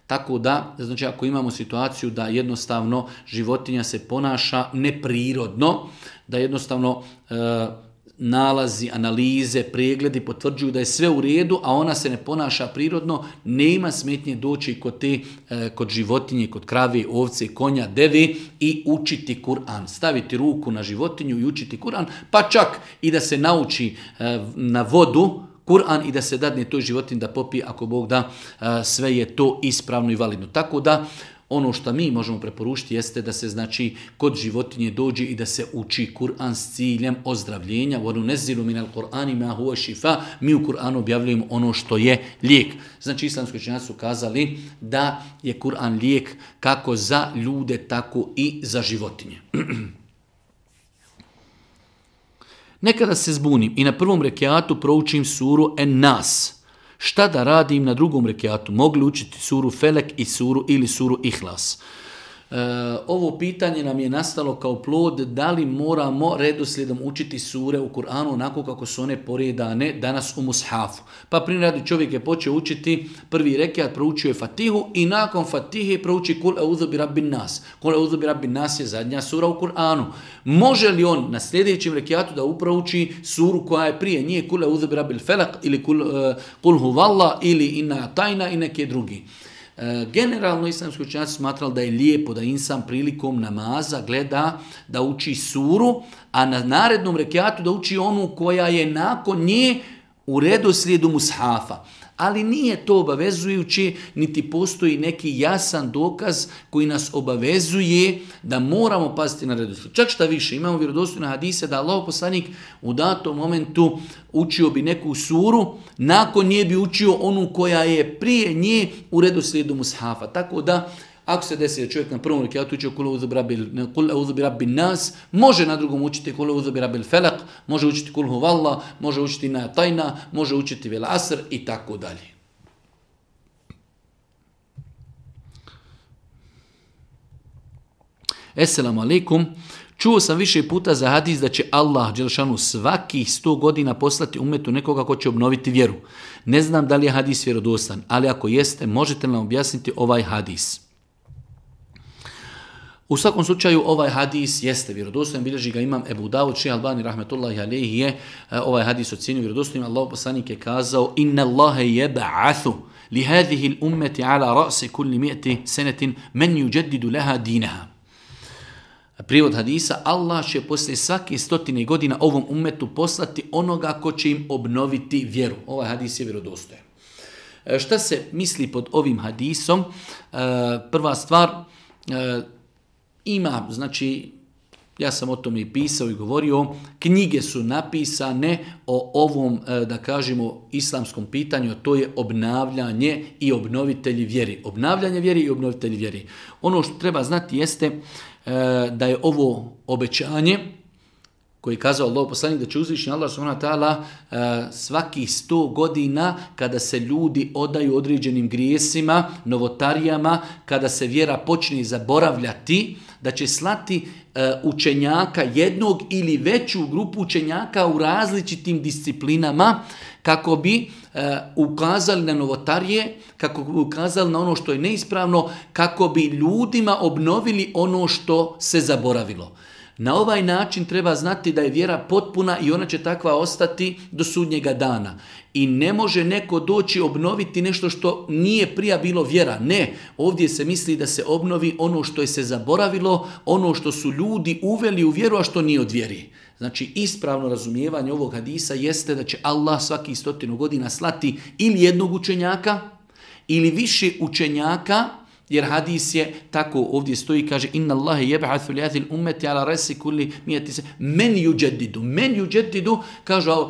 Tako da, znači ako imamo situaciju da jednostavno životinja se ponaša neprirodno, da jednostavno e, nalazi, analize, pregledi potvrđuju da je sve u redu, a ona se ne ponaša prirodno, nema smetnje doći kod te, e, kod životinje, kod krave, ovce, konja, deve i učiti Kur'an. Staviti ruku na životinju i učiti Kur'an, pa čak i da se nauči e, na vodu Kur'an i da se dadne toj životinji da popije, ako Bog da, e, sve je to ispravno i validno. Tako da, ono što mi možemo preporučiti jeste da se znači kod životinje dođe i da se uči Kur'an s ciljem ozdravljenja. وَنُنَزِّلُ مِنَ الْقُرْآنِ مَا هُوَ شِفَاء. Mi u Kur'anu objavljujemo ono što je lijek. Znači islamski učenjaci su kazali da je Kur'an lijek kako za ljude, tako i za životinje. Nekada se zbunim i na prvom rekiatu proučim suru En-Nas. Šta da radim na drugom rekiatu? Mogli učiti suru Felek i suru ili suru Ihlas? E, ovo pitanje nam je nastalo kao plod da li moramo redoslijedom učiti sure u Kur'anu onako kako su one poredane danas u mushafu. Pa primjer radi čovjek je počeo učiti prvi rekiat, proučio je Fatihu i nakon Fatihe prouči Kul e'udhu bi rabbin nas. Kul e'udhu bi rabbin nas je zadnja sura u Kur'anu. Može li on na sljedećem rekiatu da uprouči suru koja je prije nije Kul e'udhu bi rabbil felak ili Kul, uh, kul huvallah ili Inna tajna i neke drugi? Generalno islamski učenjaci smatrali da je lijepo da insan prilikom namaza gleda da uči suru, a na narednom rekiatu da uči onu koja je nakon nje u redoslijedu mushafa. Ali nije to obavezujuće, niti postoji neki jasan dokaz koji nas obavezuje da moramo paziti na redoslijed. Čak šta više, imamo vjerodostojne hadise da Allahov poslanik u datom momentu učio bi neku suru, nakon nje bi učio onu koja je prije nje u redoslijedu mushafa. Tako da, ako se desi da čovjek na prvom rekiatu učio Kul e'udhu bi rabbin nas, može na drugom učiti Kul e'udhu bi rabbil felak, može učiti Kul huvallah, može učiti Inna tajna, može učiti vel asr i tako dalje. Esselamu alaikum. Čuo sam više puta za hadis da će Allah dželešanu svakih sto godina poslati umetu nekoga ko će obnoviti vjeru. Ne znam da li je hadis vjerodostan, ali ako jeste, možete nam objasniti ovaj hadis. U svakom slučaju ovaj hadis jeste vjerodostojan, bilježi ga imam Ebu Davud, Šejh Albani rahmetullahi alejhi je ovaj hadis ocjenio vjerodostojnim. Allahov poslanik je kazao: Inna Allaha yab'athu li hadhihi al-ummati ala ra'si kulli mi'ati sanatin man yujaddidu laha dinaha. Prijevod hadisa: Allah će poslije svake stotine godina ovom ummetu poslati onoga ko će im obnoviti vjeru. Ovaj hadis je vjerodostojan. Šta se misli pod ovim hadisom? Prva stvar, ima, znači, ja sam o tome i pisao i govorio, knjige su napisane o ovom, da kažemo, islamskom pitanju, a to je obnavljanje i obnovitelji vjeri. Obnavljanje vjeri i obnovitelji vjeri. Ono što treba znati jeste da je ovo obećanje koji je kazao Allahov poslanik da će uzvišeni Allah subhanahu wa ta'ala svakih sto godina kada se ljudi odaju određenim grijesima, novotarijama, kada se vjera počne zaboravljati, da će slati učenjaka, jednog ili veću grupu učenjaka u različitim disciplinama kako bi ukazali na novotarije, kako bi ukazali na ono što je neispravno, kako bi ljudima obnovili ono što se zaboravilo. Na ovaj način treba znati da je vjera potpuna i ona će takva ostati do sudnjega dana. I ne može neko doći obnoviti nešto što nije prija bilo vjera. Ne, ovdje se misli da se obnovi ono što je se zaboravilo, ono što su ljudi uveli u vjeru, a što nije od vjeri. Znači, ispravno razumijevanje ovog hadisa jeste da će Allah svaki stotinu godina slati ili jednog učenjaka, ili više učenjaka, jer hadis je tako ovdje stoji, kaže: Inna Allahe yeb'athu li hadhihi al-ummati ala rasi kulli mi'ati se men yujaddidu. Men yujaddidu, kažu uh,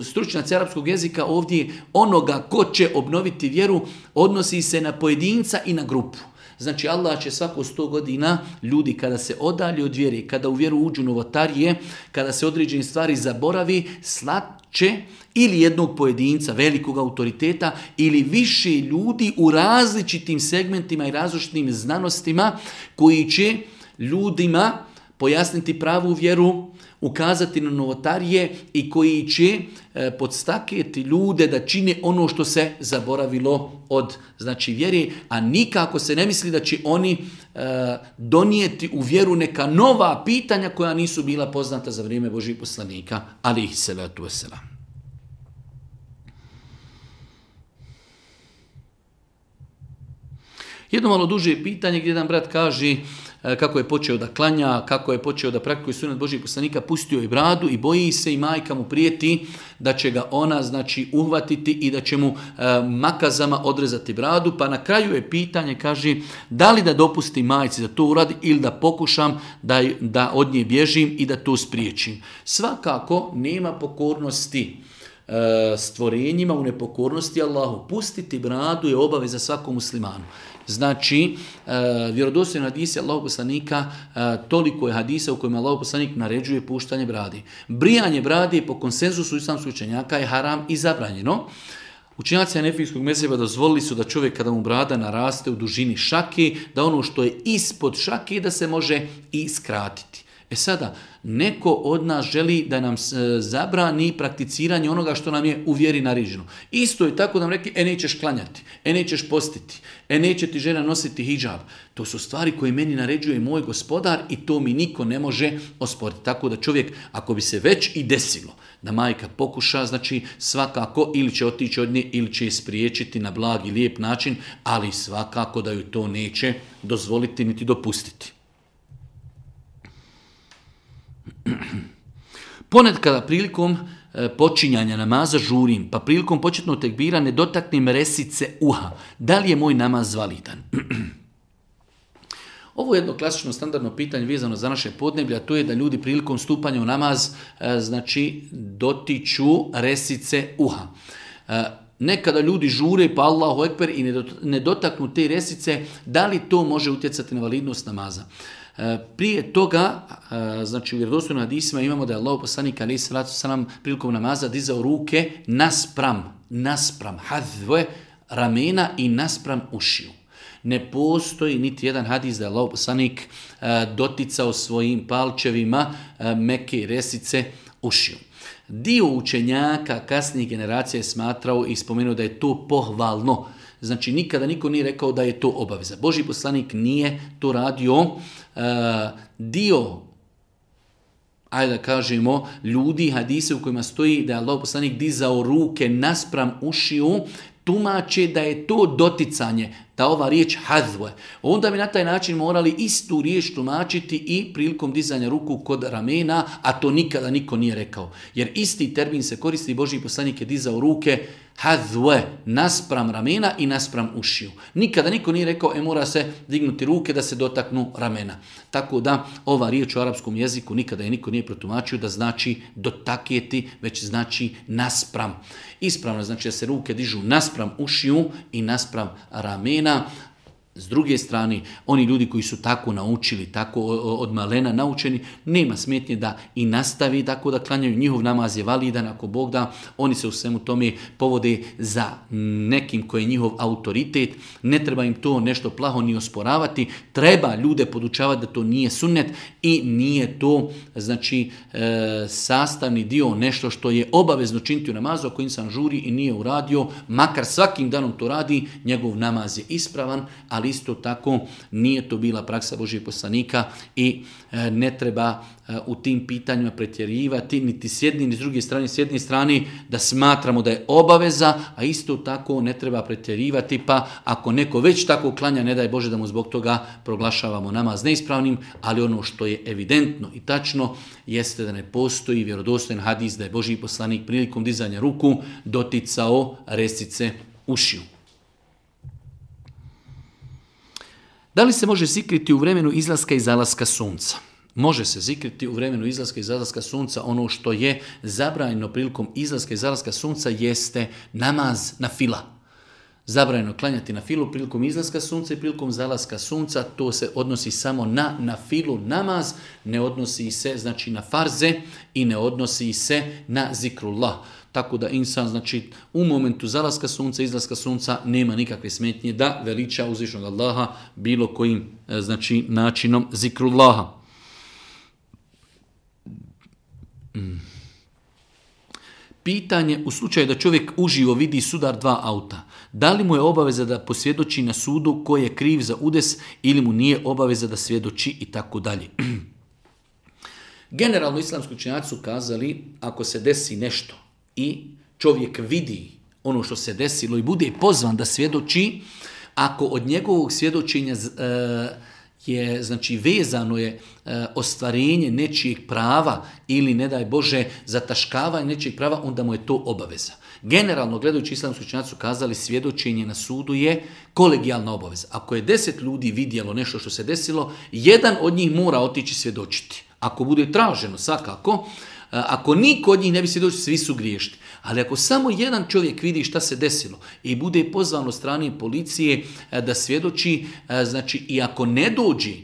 stručnjaci arapskog jezika, ovdje onoga ko će obnoviti vjeru odnosi se na pojedinca i na grupu. Znači, Allah će svako sto godina ljudi kada se odalje od vjere, kada u vjeru uđu novotarije, kada se određene stvari zaboravi, slat će ili jednog pojedinca, velikog autoriteta, ili više ljudi u različitim segmentima i različitim znanostima koji će ljudima pojasniti pravu vjeru, ukazati na novotarije i koji će e, podstakjeti ljude da čine ono što se zaboravilo od znači vjere, a nikako se ne misli da će oni e, donijeti u vjeru neka nova pitanja koja nisu bila poznata za vrijeme Božih poslanika, alejhi salatu vesselam. Jedno malo duže pitanje gdje jedan brat kaže kako je počeo da klanja, kako je počeo da praktikuje sunet Božih poslanika, pustio je bradu i boji se i majka mu prijeti da će ga ona znači uhvatiti i da će mu e, makazama odrezati bradu, pa na kraju je pitanje, kaže, da li da dopusti majci da to uradi ili da pokušam da, da od nje bježim i da to spriječim. Svakako nema pokornosti e, stvorenjima u nepokornosti Allahu. Pustiti bradu je obaveza svakom muslimanu. Znači, e, vjerodostojni hadisi Allahov poslanika, e, toliko je hadisa u kojima Allahov poslanik naređuje puštanje bradi. Brijanje bradi po konsenzusu islamskih učenjaka je haram i zabranjeno. Učenjaci hanefijskog mezheba dozvolili su da čovjek kada mu brada naraste u dužini šake, da ono što je ispod šake da se može i skratiti. E sada, neko od nas želi da nam zabrani prakticiranje onoga što nam je u vjeri naređeno. Isto je tako da nam rekli, e nećeš klanjati, e nećeš postiti, e neće ti žena nositi hidžab. To su stvari koje meni naređuje moj gospodar i to mi niko ne može osporiti. Tako da čovjek, ako bi se već i desilo da majka pokuša, znači svakako ili će otići od nje ili će je spriječiti na blag i lijep način, ali svakako da ju to neće dozvoliti niti dopustiti. Ponekada prilikom e, počinjanja namaza žurim, pa prilikom početnog tekbira ne dotaknem resice uha. Da li je moj namaz validan? Ovo je jedno klasično standardno pitanje vezano za naše podneblje, a to je da ljudi prilikom stupanja u namaz e, znači dotiču resice uha. E, nekada ljudi žure pa Allahu ekber i ne dotaknu te resice, da li to može utjecati na validnost namaza? Prije toga, znači u vjerodostojnim hadisima imamo da je Allahov poslanik alejhi salatu selam prilikom namaza dizao ruke naspram, naspram hadve ramena i naspram ušiju. Ne postoji niti jedan hadis da je Allahov poslanik doticao svojim palčevima meke resice ušiju. Dio učenjaka kasnijih generacija je smatrao i spomenuo da je to pohvalno. Znači nikada niko nije rekao da je to obaveza. Božji poslanik nije to radio. Uh, dio, ajde da kažemo, ljudi, hadise u kojima stoji da je Allahov poslanik dizao ruke naspram ušiju, tumače da je to doticanje, da ova riječ hadve. Onda bi na taj način morali istu riječ tumačiti i prilikom dizanja ruku kod ramena, a to nikada niko nije rekao. Jer isti termin se koristi, Božji poslanik je dizao ruke hadve, naspram ramena i naspram ušiju. Nikada niko nije rekao, e mora se dignuti ruke da se dotaknu ramena. Tako da ova riječ u arapskom jeziku nikada je niko nije protumačio da znači dotakjeti, već znači naspram. Ispravno znači da se ruke dižu naspram ušiju i naspram ramena. S druge strane, oni ljudi koji su tako naučili, tako od malena naučeni, nema smetnje da i nastavi tako da klanjaju. Njihov namaz je validan, ako Bog da, oni se u svemu tome povode za nekim koji je njihov autoritet. Ne treba im to nešto plaho ni osporavati. Treba ljude podučavati da to nije sunnet i nije to znači e, sastavni dio, nešto što je obavezno činiti u namazu. Ako insan žuri i nije uradio, makar svakim danom to radi, njegov namaz je ispravan, ali isto tako nije to bila praksa Božjeg poslanika i e, ne treba e, u tim pitanjima pretjerivati niti s jedne ni s druge strane, s jedne strane da smatramo da je obaveza, a isto tako ne treba pretjerivati, pa ako neko već tako klanja, ne daj Bože da mu zbog toga proglašavamo namaz neispravnim, ali ono što je evidentno i tačno jeste da ne postoji vjerodostojan hadis da je Božji poslanik prilikom dizanja ruku doticao resice ušiju. Da li se može zikriti u vremenu izlaska i zalaska sunca? Može se zikriti u vremenu izlaska i zalaska sunca. Ono što je zabranjeno prilikom izlaska i zalaska sunca jeste namaz na fila. Zabranjeno klanjati na filu prilikom izlaska sunca i prilikom zalaska sunca. To se odnosi samo na na filu namaz, ne odnosi se znači na farze i ne odnosi se na zikrullah. Tako da insan, znači, u momentu zalaska sunca, izlaska sunca, nema nikakve smetnje da veliča uzvišnog Allaha bilo kojim, znači, načinom zikrullaha. Pitanje, u slučaju da čovjek uživo vidi sudar dva auta, da li mu je obaveza da posvjedoči na sudu ko je kriv za udes ili mu nije obaveza da svjedoči i tako dalje. Generalno islamski učenjaci su kazali, ako se desi nešto i čovjek vidi ono što se desilo i bude pozvan da svjedoči, ako od njegovog svjedočenja e, je, znači, vezano je e, ostvarenje nečijeg prava ili, ne daj Bože, zataškavanje nečijeg prava, onda mu je to obaveza. Generalno, gledajući islamski učenjaci su kazali, svjedočenje na sudu je kolegijalna obaveza. Ako je deset ljudi vidjelo nešto što se desilo, jedan od njih mora otići svjedočiti. Ako bude traženo, svakako, ako niko od njih ne bi svjedočio, svi su griješni. Ali ako samo jedan čovjek vidi šta se desilo i bude pozvan od strane policije da svjedoči, znači i ako ne dođe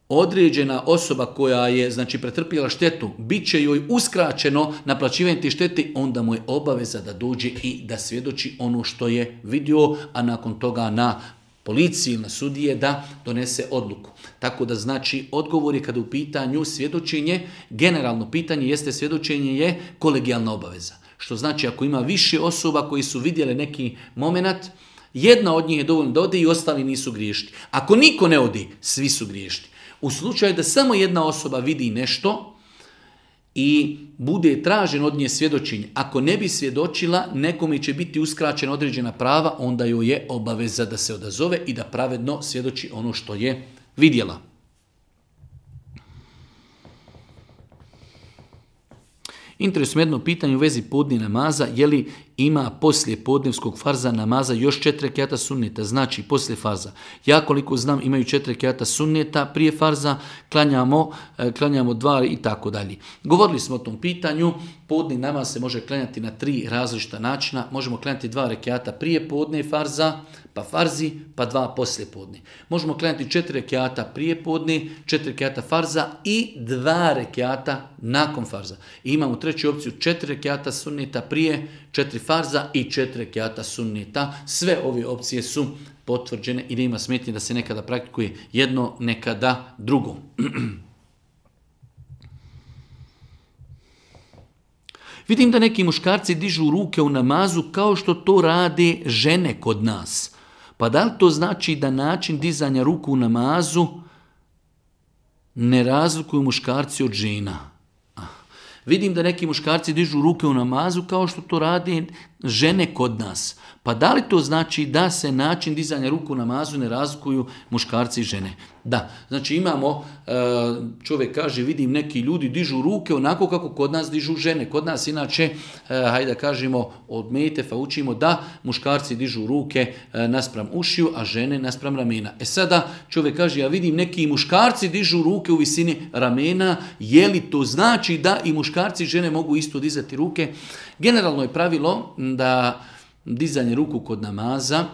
određena osoba koja je, znači, pretrpjela štetu, bit će joj uskraćeno naplaćivanje te štete, onda mu je obaveza da dođe i da svjedoči ono što je vidio, a nakon toga na policiji ili na sudije da donese odluku. Tako da, znači, odgovor je kada u pitanju svjedočenje, generalno pitanje jeste svjedočenje je kolegijalna obaveza. Što znači, ako ima više osoba koji su vidjeli neki moment, jedna od njih je dovoljno da ode i ostali nisu griješni. Ako niko ne odi, svi su griješni. U slučaju da samo jedna osoba vidi nešto i bude tražen od nje svjedočenje, ako ne bi svjedočila, nekome će biti uskraćena određena prava, onda joj je obaveza da se odazove i da pravedno svjedoči ono što je vidjela. Interesuje jedno pitanje u vezi podne namaza, je li ima poslije podnevskog farza namaza još četiri rekata sunneta, znači poslije farza. Ja koliko znam imaju četiri rekata sunneta, prije farza klanjamo, klanjamo dva i tako dalje. Govorili smo o tom pitanju, podni namaz se može klanjati na tri različita načina, možemo klanjati dva rekata prije podne farza, pa farzi, pa dva poslije podne. Možemo klanjati četiri rekata prije podne, četiri rekata farza i dva rekata nakon farza. I imamo treću opciju, četiri rekata sunneta prije, četiri farza i četiri rekata sunneta. Sve ove opcije su potvrđene i nema smetnje da se nekada praktikuje jedno, nekada drugo. Vidim da neki muškarci dižu ruke u namazu kao što to rade žene kod nas. Pa da li to znači da način dizanja ruku u namazu ne razlikuju muškarci od žena? Vidim da neki muškarci dižu ruke u namazu kao što to rade žene kod nas. Pa da li to znači da se način dizanja ruku u namazu ne razlikuju muškarci i žene? Da, znači imamo, čovjek kaže, vidim neki ljudi dižu ruke onako kako kod nas dižu žene. Kod nas inače, hajde da kažemo, od metefa učimo da muškarci dižu ruke naspram ušiju, a žene naspram ramena. E sada čovjek kaže, ja vidim neki muškarci dižu ruke u visini ramena, je li to znači da i muškarci i žene mogu isto dizati ruke? Generalno je pravilo da dizanje ruku kod namaza,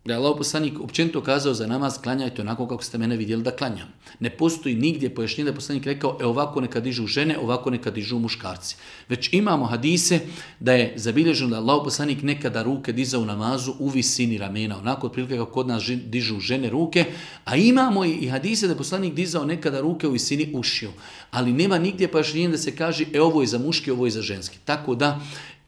da je Allahov poslanik općenito kazao za namaz, klanjajte onako kako ste mene vidjeli da klanjam. Ne postoji nigdje pojašnjenje da je poslanik rekao, e ovako neka dižu žene, ovako neka dižu muškarci. Već imamo hadise da je zabilježeno da Allahov poslanik nekada ruke dizao u namazu u visini ramena, onako otprilike kako kod nas dižu žene ruke, a imamo i hadise da je poslanik dizao nekada ruke u visini ušiju. Ali nema nigdje pojašnjenje da se kaže, e ovo je za muški, ovo je za ženski. Tako da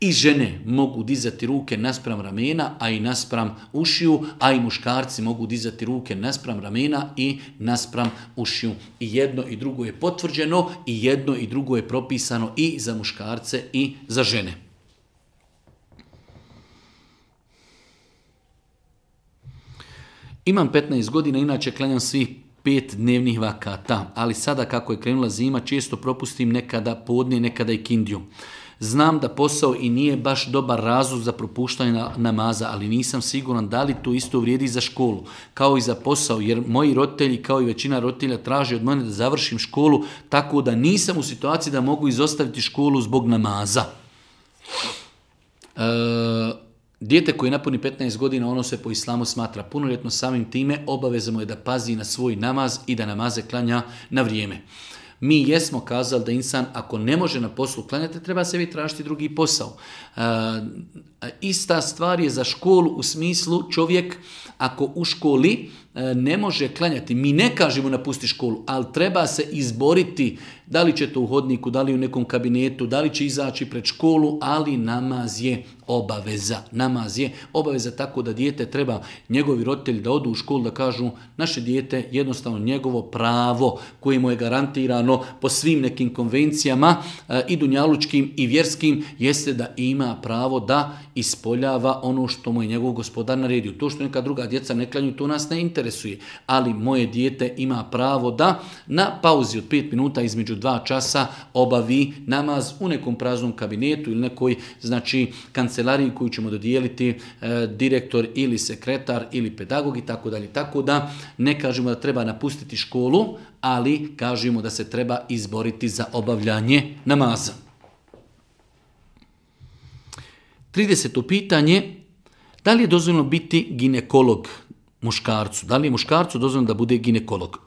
i žene mogu dizati ruke naspram ramena, a i naspram ušiju, a i muškarci mogu dizati ruke naspram ramena i naspram ušiju. I jedno i drugo je potvrđeno i jedno i drugo je propisano i za muškarce i za žene. Imam petnaest godina, inače klanjam svih pet dnevnih vakata, ali sada kako je krenula zima, često propustim nekada podne, nekada i kindiju. Znam da posao i nije baš dobar razlog za propuštanje namaza, ali nisam siguran da li to isto vrijedi za školu, kao i za posao, jer moji roditelji, kao i većina roditelja, traže od mene da završim školu, tako da nisam u situaciji da mogu izostaviti školu zbog namaza. E, dijete koje napuni petnaest godina, ono se po islamu smatra punoljetno, samim time obaveza mu je da pazi na svoj namaz i da namaze klanja na vrijeme. Mi jesmo kazali da insan, ako ne može na poslu klanjati, treba sebi tražiti drugi posao. E, ista stvar je za školu u smislu čovjek Ako u školi ne može klanjati, mi ne kažemo napusti školu, ali treba se izboriti da li će to u hodniku, da li u nekom kabinetu, da li će izaći pred školu, ali namaz je obaveza. Namaz je obaveza, tako da dijete treba, njegovi roditelji da odu u školu, da kažu naše dijete jednostavno njegovo pravo koje mu je garantirano po svim nekim konvencijama i dunjalučkim i vjerskim, jeste da ima pravo da ispoljava ono što mu je njegov gospodar naredio. To što neka druga djeca ne klanju, to nas ne interesuje, ali moje dijete ima pravo da na pauzi od pet minuta između dva časa obavi namaz u nekom praznom kabinetu ili nekoj, znači, kancelariji koju ćemo dodijeliti e, direktor ili sekretar ili pedagog i tako dalje. Tako da ne kažemo da treba napustiti školu, ali kažemo da se treba izboriti za obavljanje namaza. trideseto pitanje, da li je dozvoljeno biti ginekolog muškarcu? Da li je muškarcu dozvoljeno da bude ginekolog?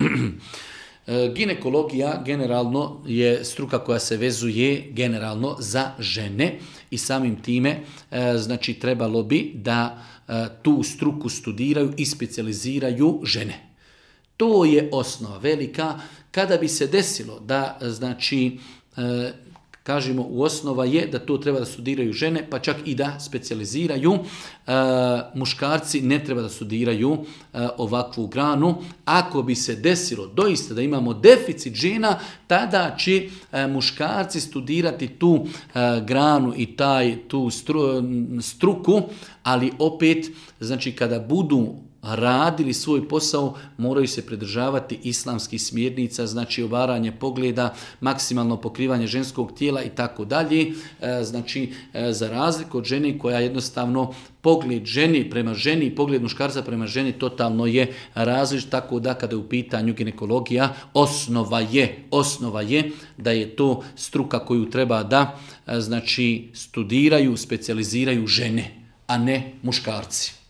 Ginekologija generalno je struka koja se vezuje generalno za žene i samim time znači trebalo bi da tu struku studiraju i specijaliziraju žene. To je osnova velika. Kada bi se desilo da znači kažemo u osnova je da to treba da studiraju žene, pa čak i da specijaliziraju. E, muškarci ne treba da studiraju e, ovakvu granu. Ako bi se desilo doista da imamo deficit žena, tada će e, muškarci studirati tu e, granu i taj, tu stru, struku, ali opet, znači kada budu radili svoj posao, moraju se pridržavati islamskih smjernica, znači obaranje pogleda, maksimalno pokrivanje ženskog tijela i tako dalje. Znači, za razliku od žene koja jednostavno pogled ženi prema ženi i pogled muškarca prema ženi totalno je različit, tako da kada je u pitanju ginekologija, osnova je, osnova je da je to struka koju treba da znači studiraju, specijaliziraju žene, a ne muškarci.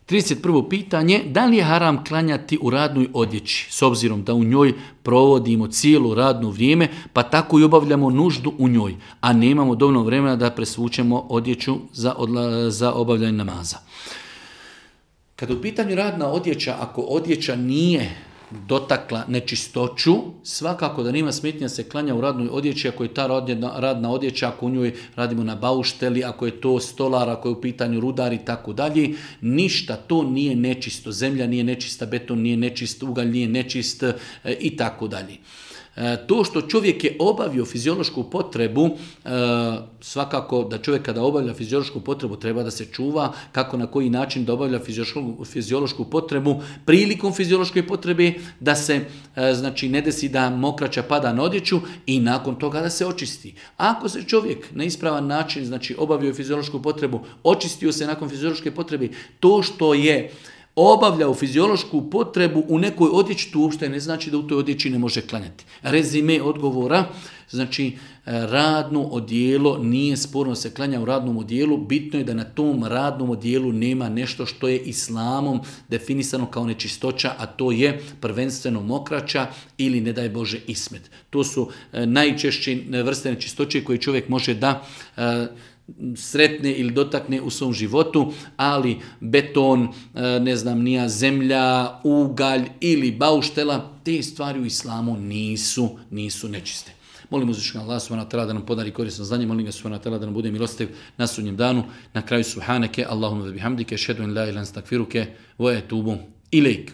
trideset prvo pitanje, da li je haram klanjati u radnoj odjeći, s obzirom da u njoj provodimo cijelo radno vrijeme, pa tako i obavljamo nuždu u njoj, a nemamo dovoljno vremena da presvučemo odjeću za, odla, za obavljanje namaza. Kada u pitanju radna odjeća, ako odjeća nije dotakla nečistoću, svakako da nema smetnja da se klanja u radnoj odjeći, ako je ta radna odjeća, ako u njoj radimo na baušteli, ako je to stolar, ako je u pitanju rudar i tako dalje, ništa to nije nečisto. Zemlja nije nečista, beton nije nečist, ugalj nije nečist e, i tako dalje. To što čovjek je obavio fiziološku potrebu, svakako da čovjek kada obavlja fiziološku potrebu treba da se čuva kako na koji način da obavlja fiziološku, fiziološku potrebu. Prilikom fiziološke potrebe da se znači ne desi da mokraća pada na odjeću i nakon toga da se očisti. Ako se čovjek na ispravan način znači obavio fiziološku potrebu, očistio se nakon fiziološke potrebe, to što je obavljao fiziološku potrebu u nekoj odjeći, to uopšte ne znači da u toj odjeći ne može klanjati. Rezime odgovora, znači radno odijelo, nije sporno se klanja u radnom odijelu, bitno je da na tom radnom odijelu nema nešto što je islamom definisano kao nečistoća, a to je prvenstveno mokraća ili ne daj Bože ismet. To su najčešće vrste nečistoće koje čovjek može da sretne ili dotakne u svom životu, ali beton, ne znam, nija zemlja, ugalj ili bauštela, te stvari u islamu nisu, nisu nečiste. Molim uzvišenog Allaha subhanahu wa ta'ala da nam podari korisno znanje, molim ga subhanahu wa ta'ala da nam bude milostiv na sudnjem danu. Na kraju subhaneke, Allahumma wa bihamdike, ashhadu an la ilaha illa anta astaghfiruke wa atubu ilejk.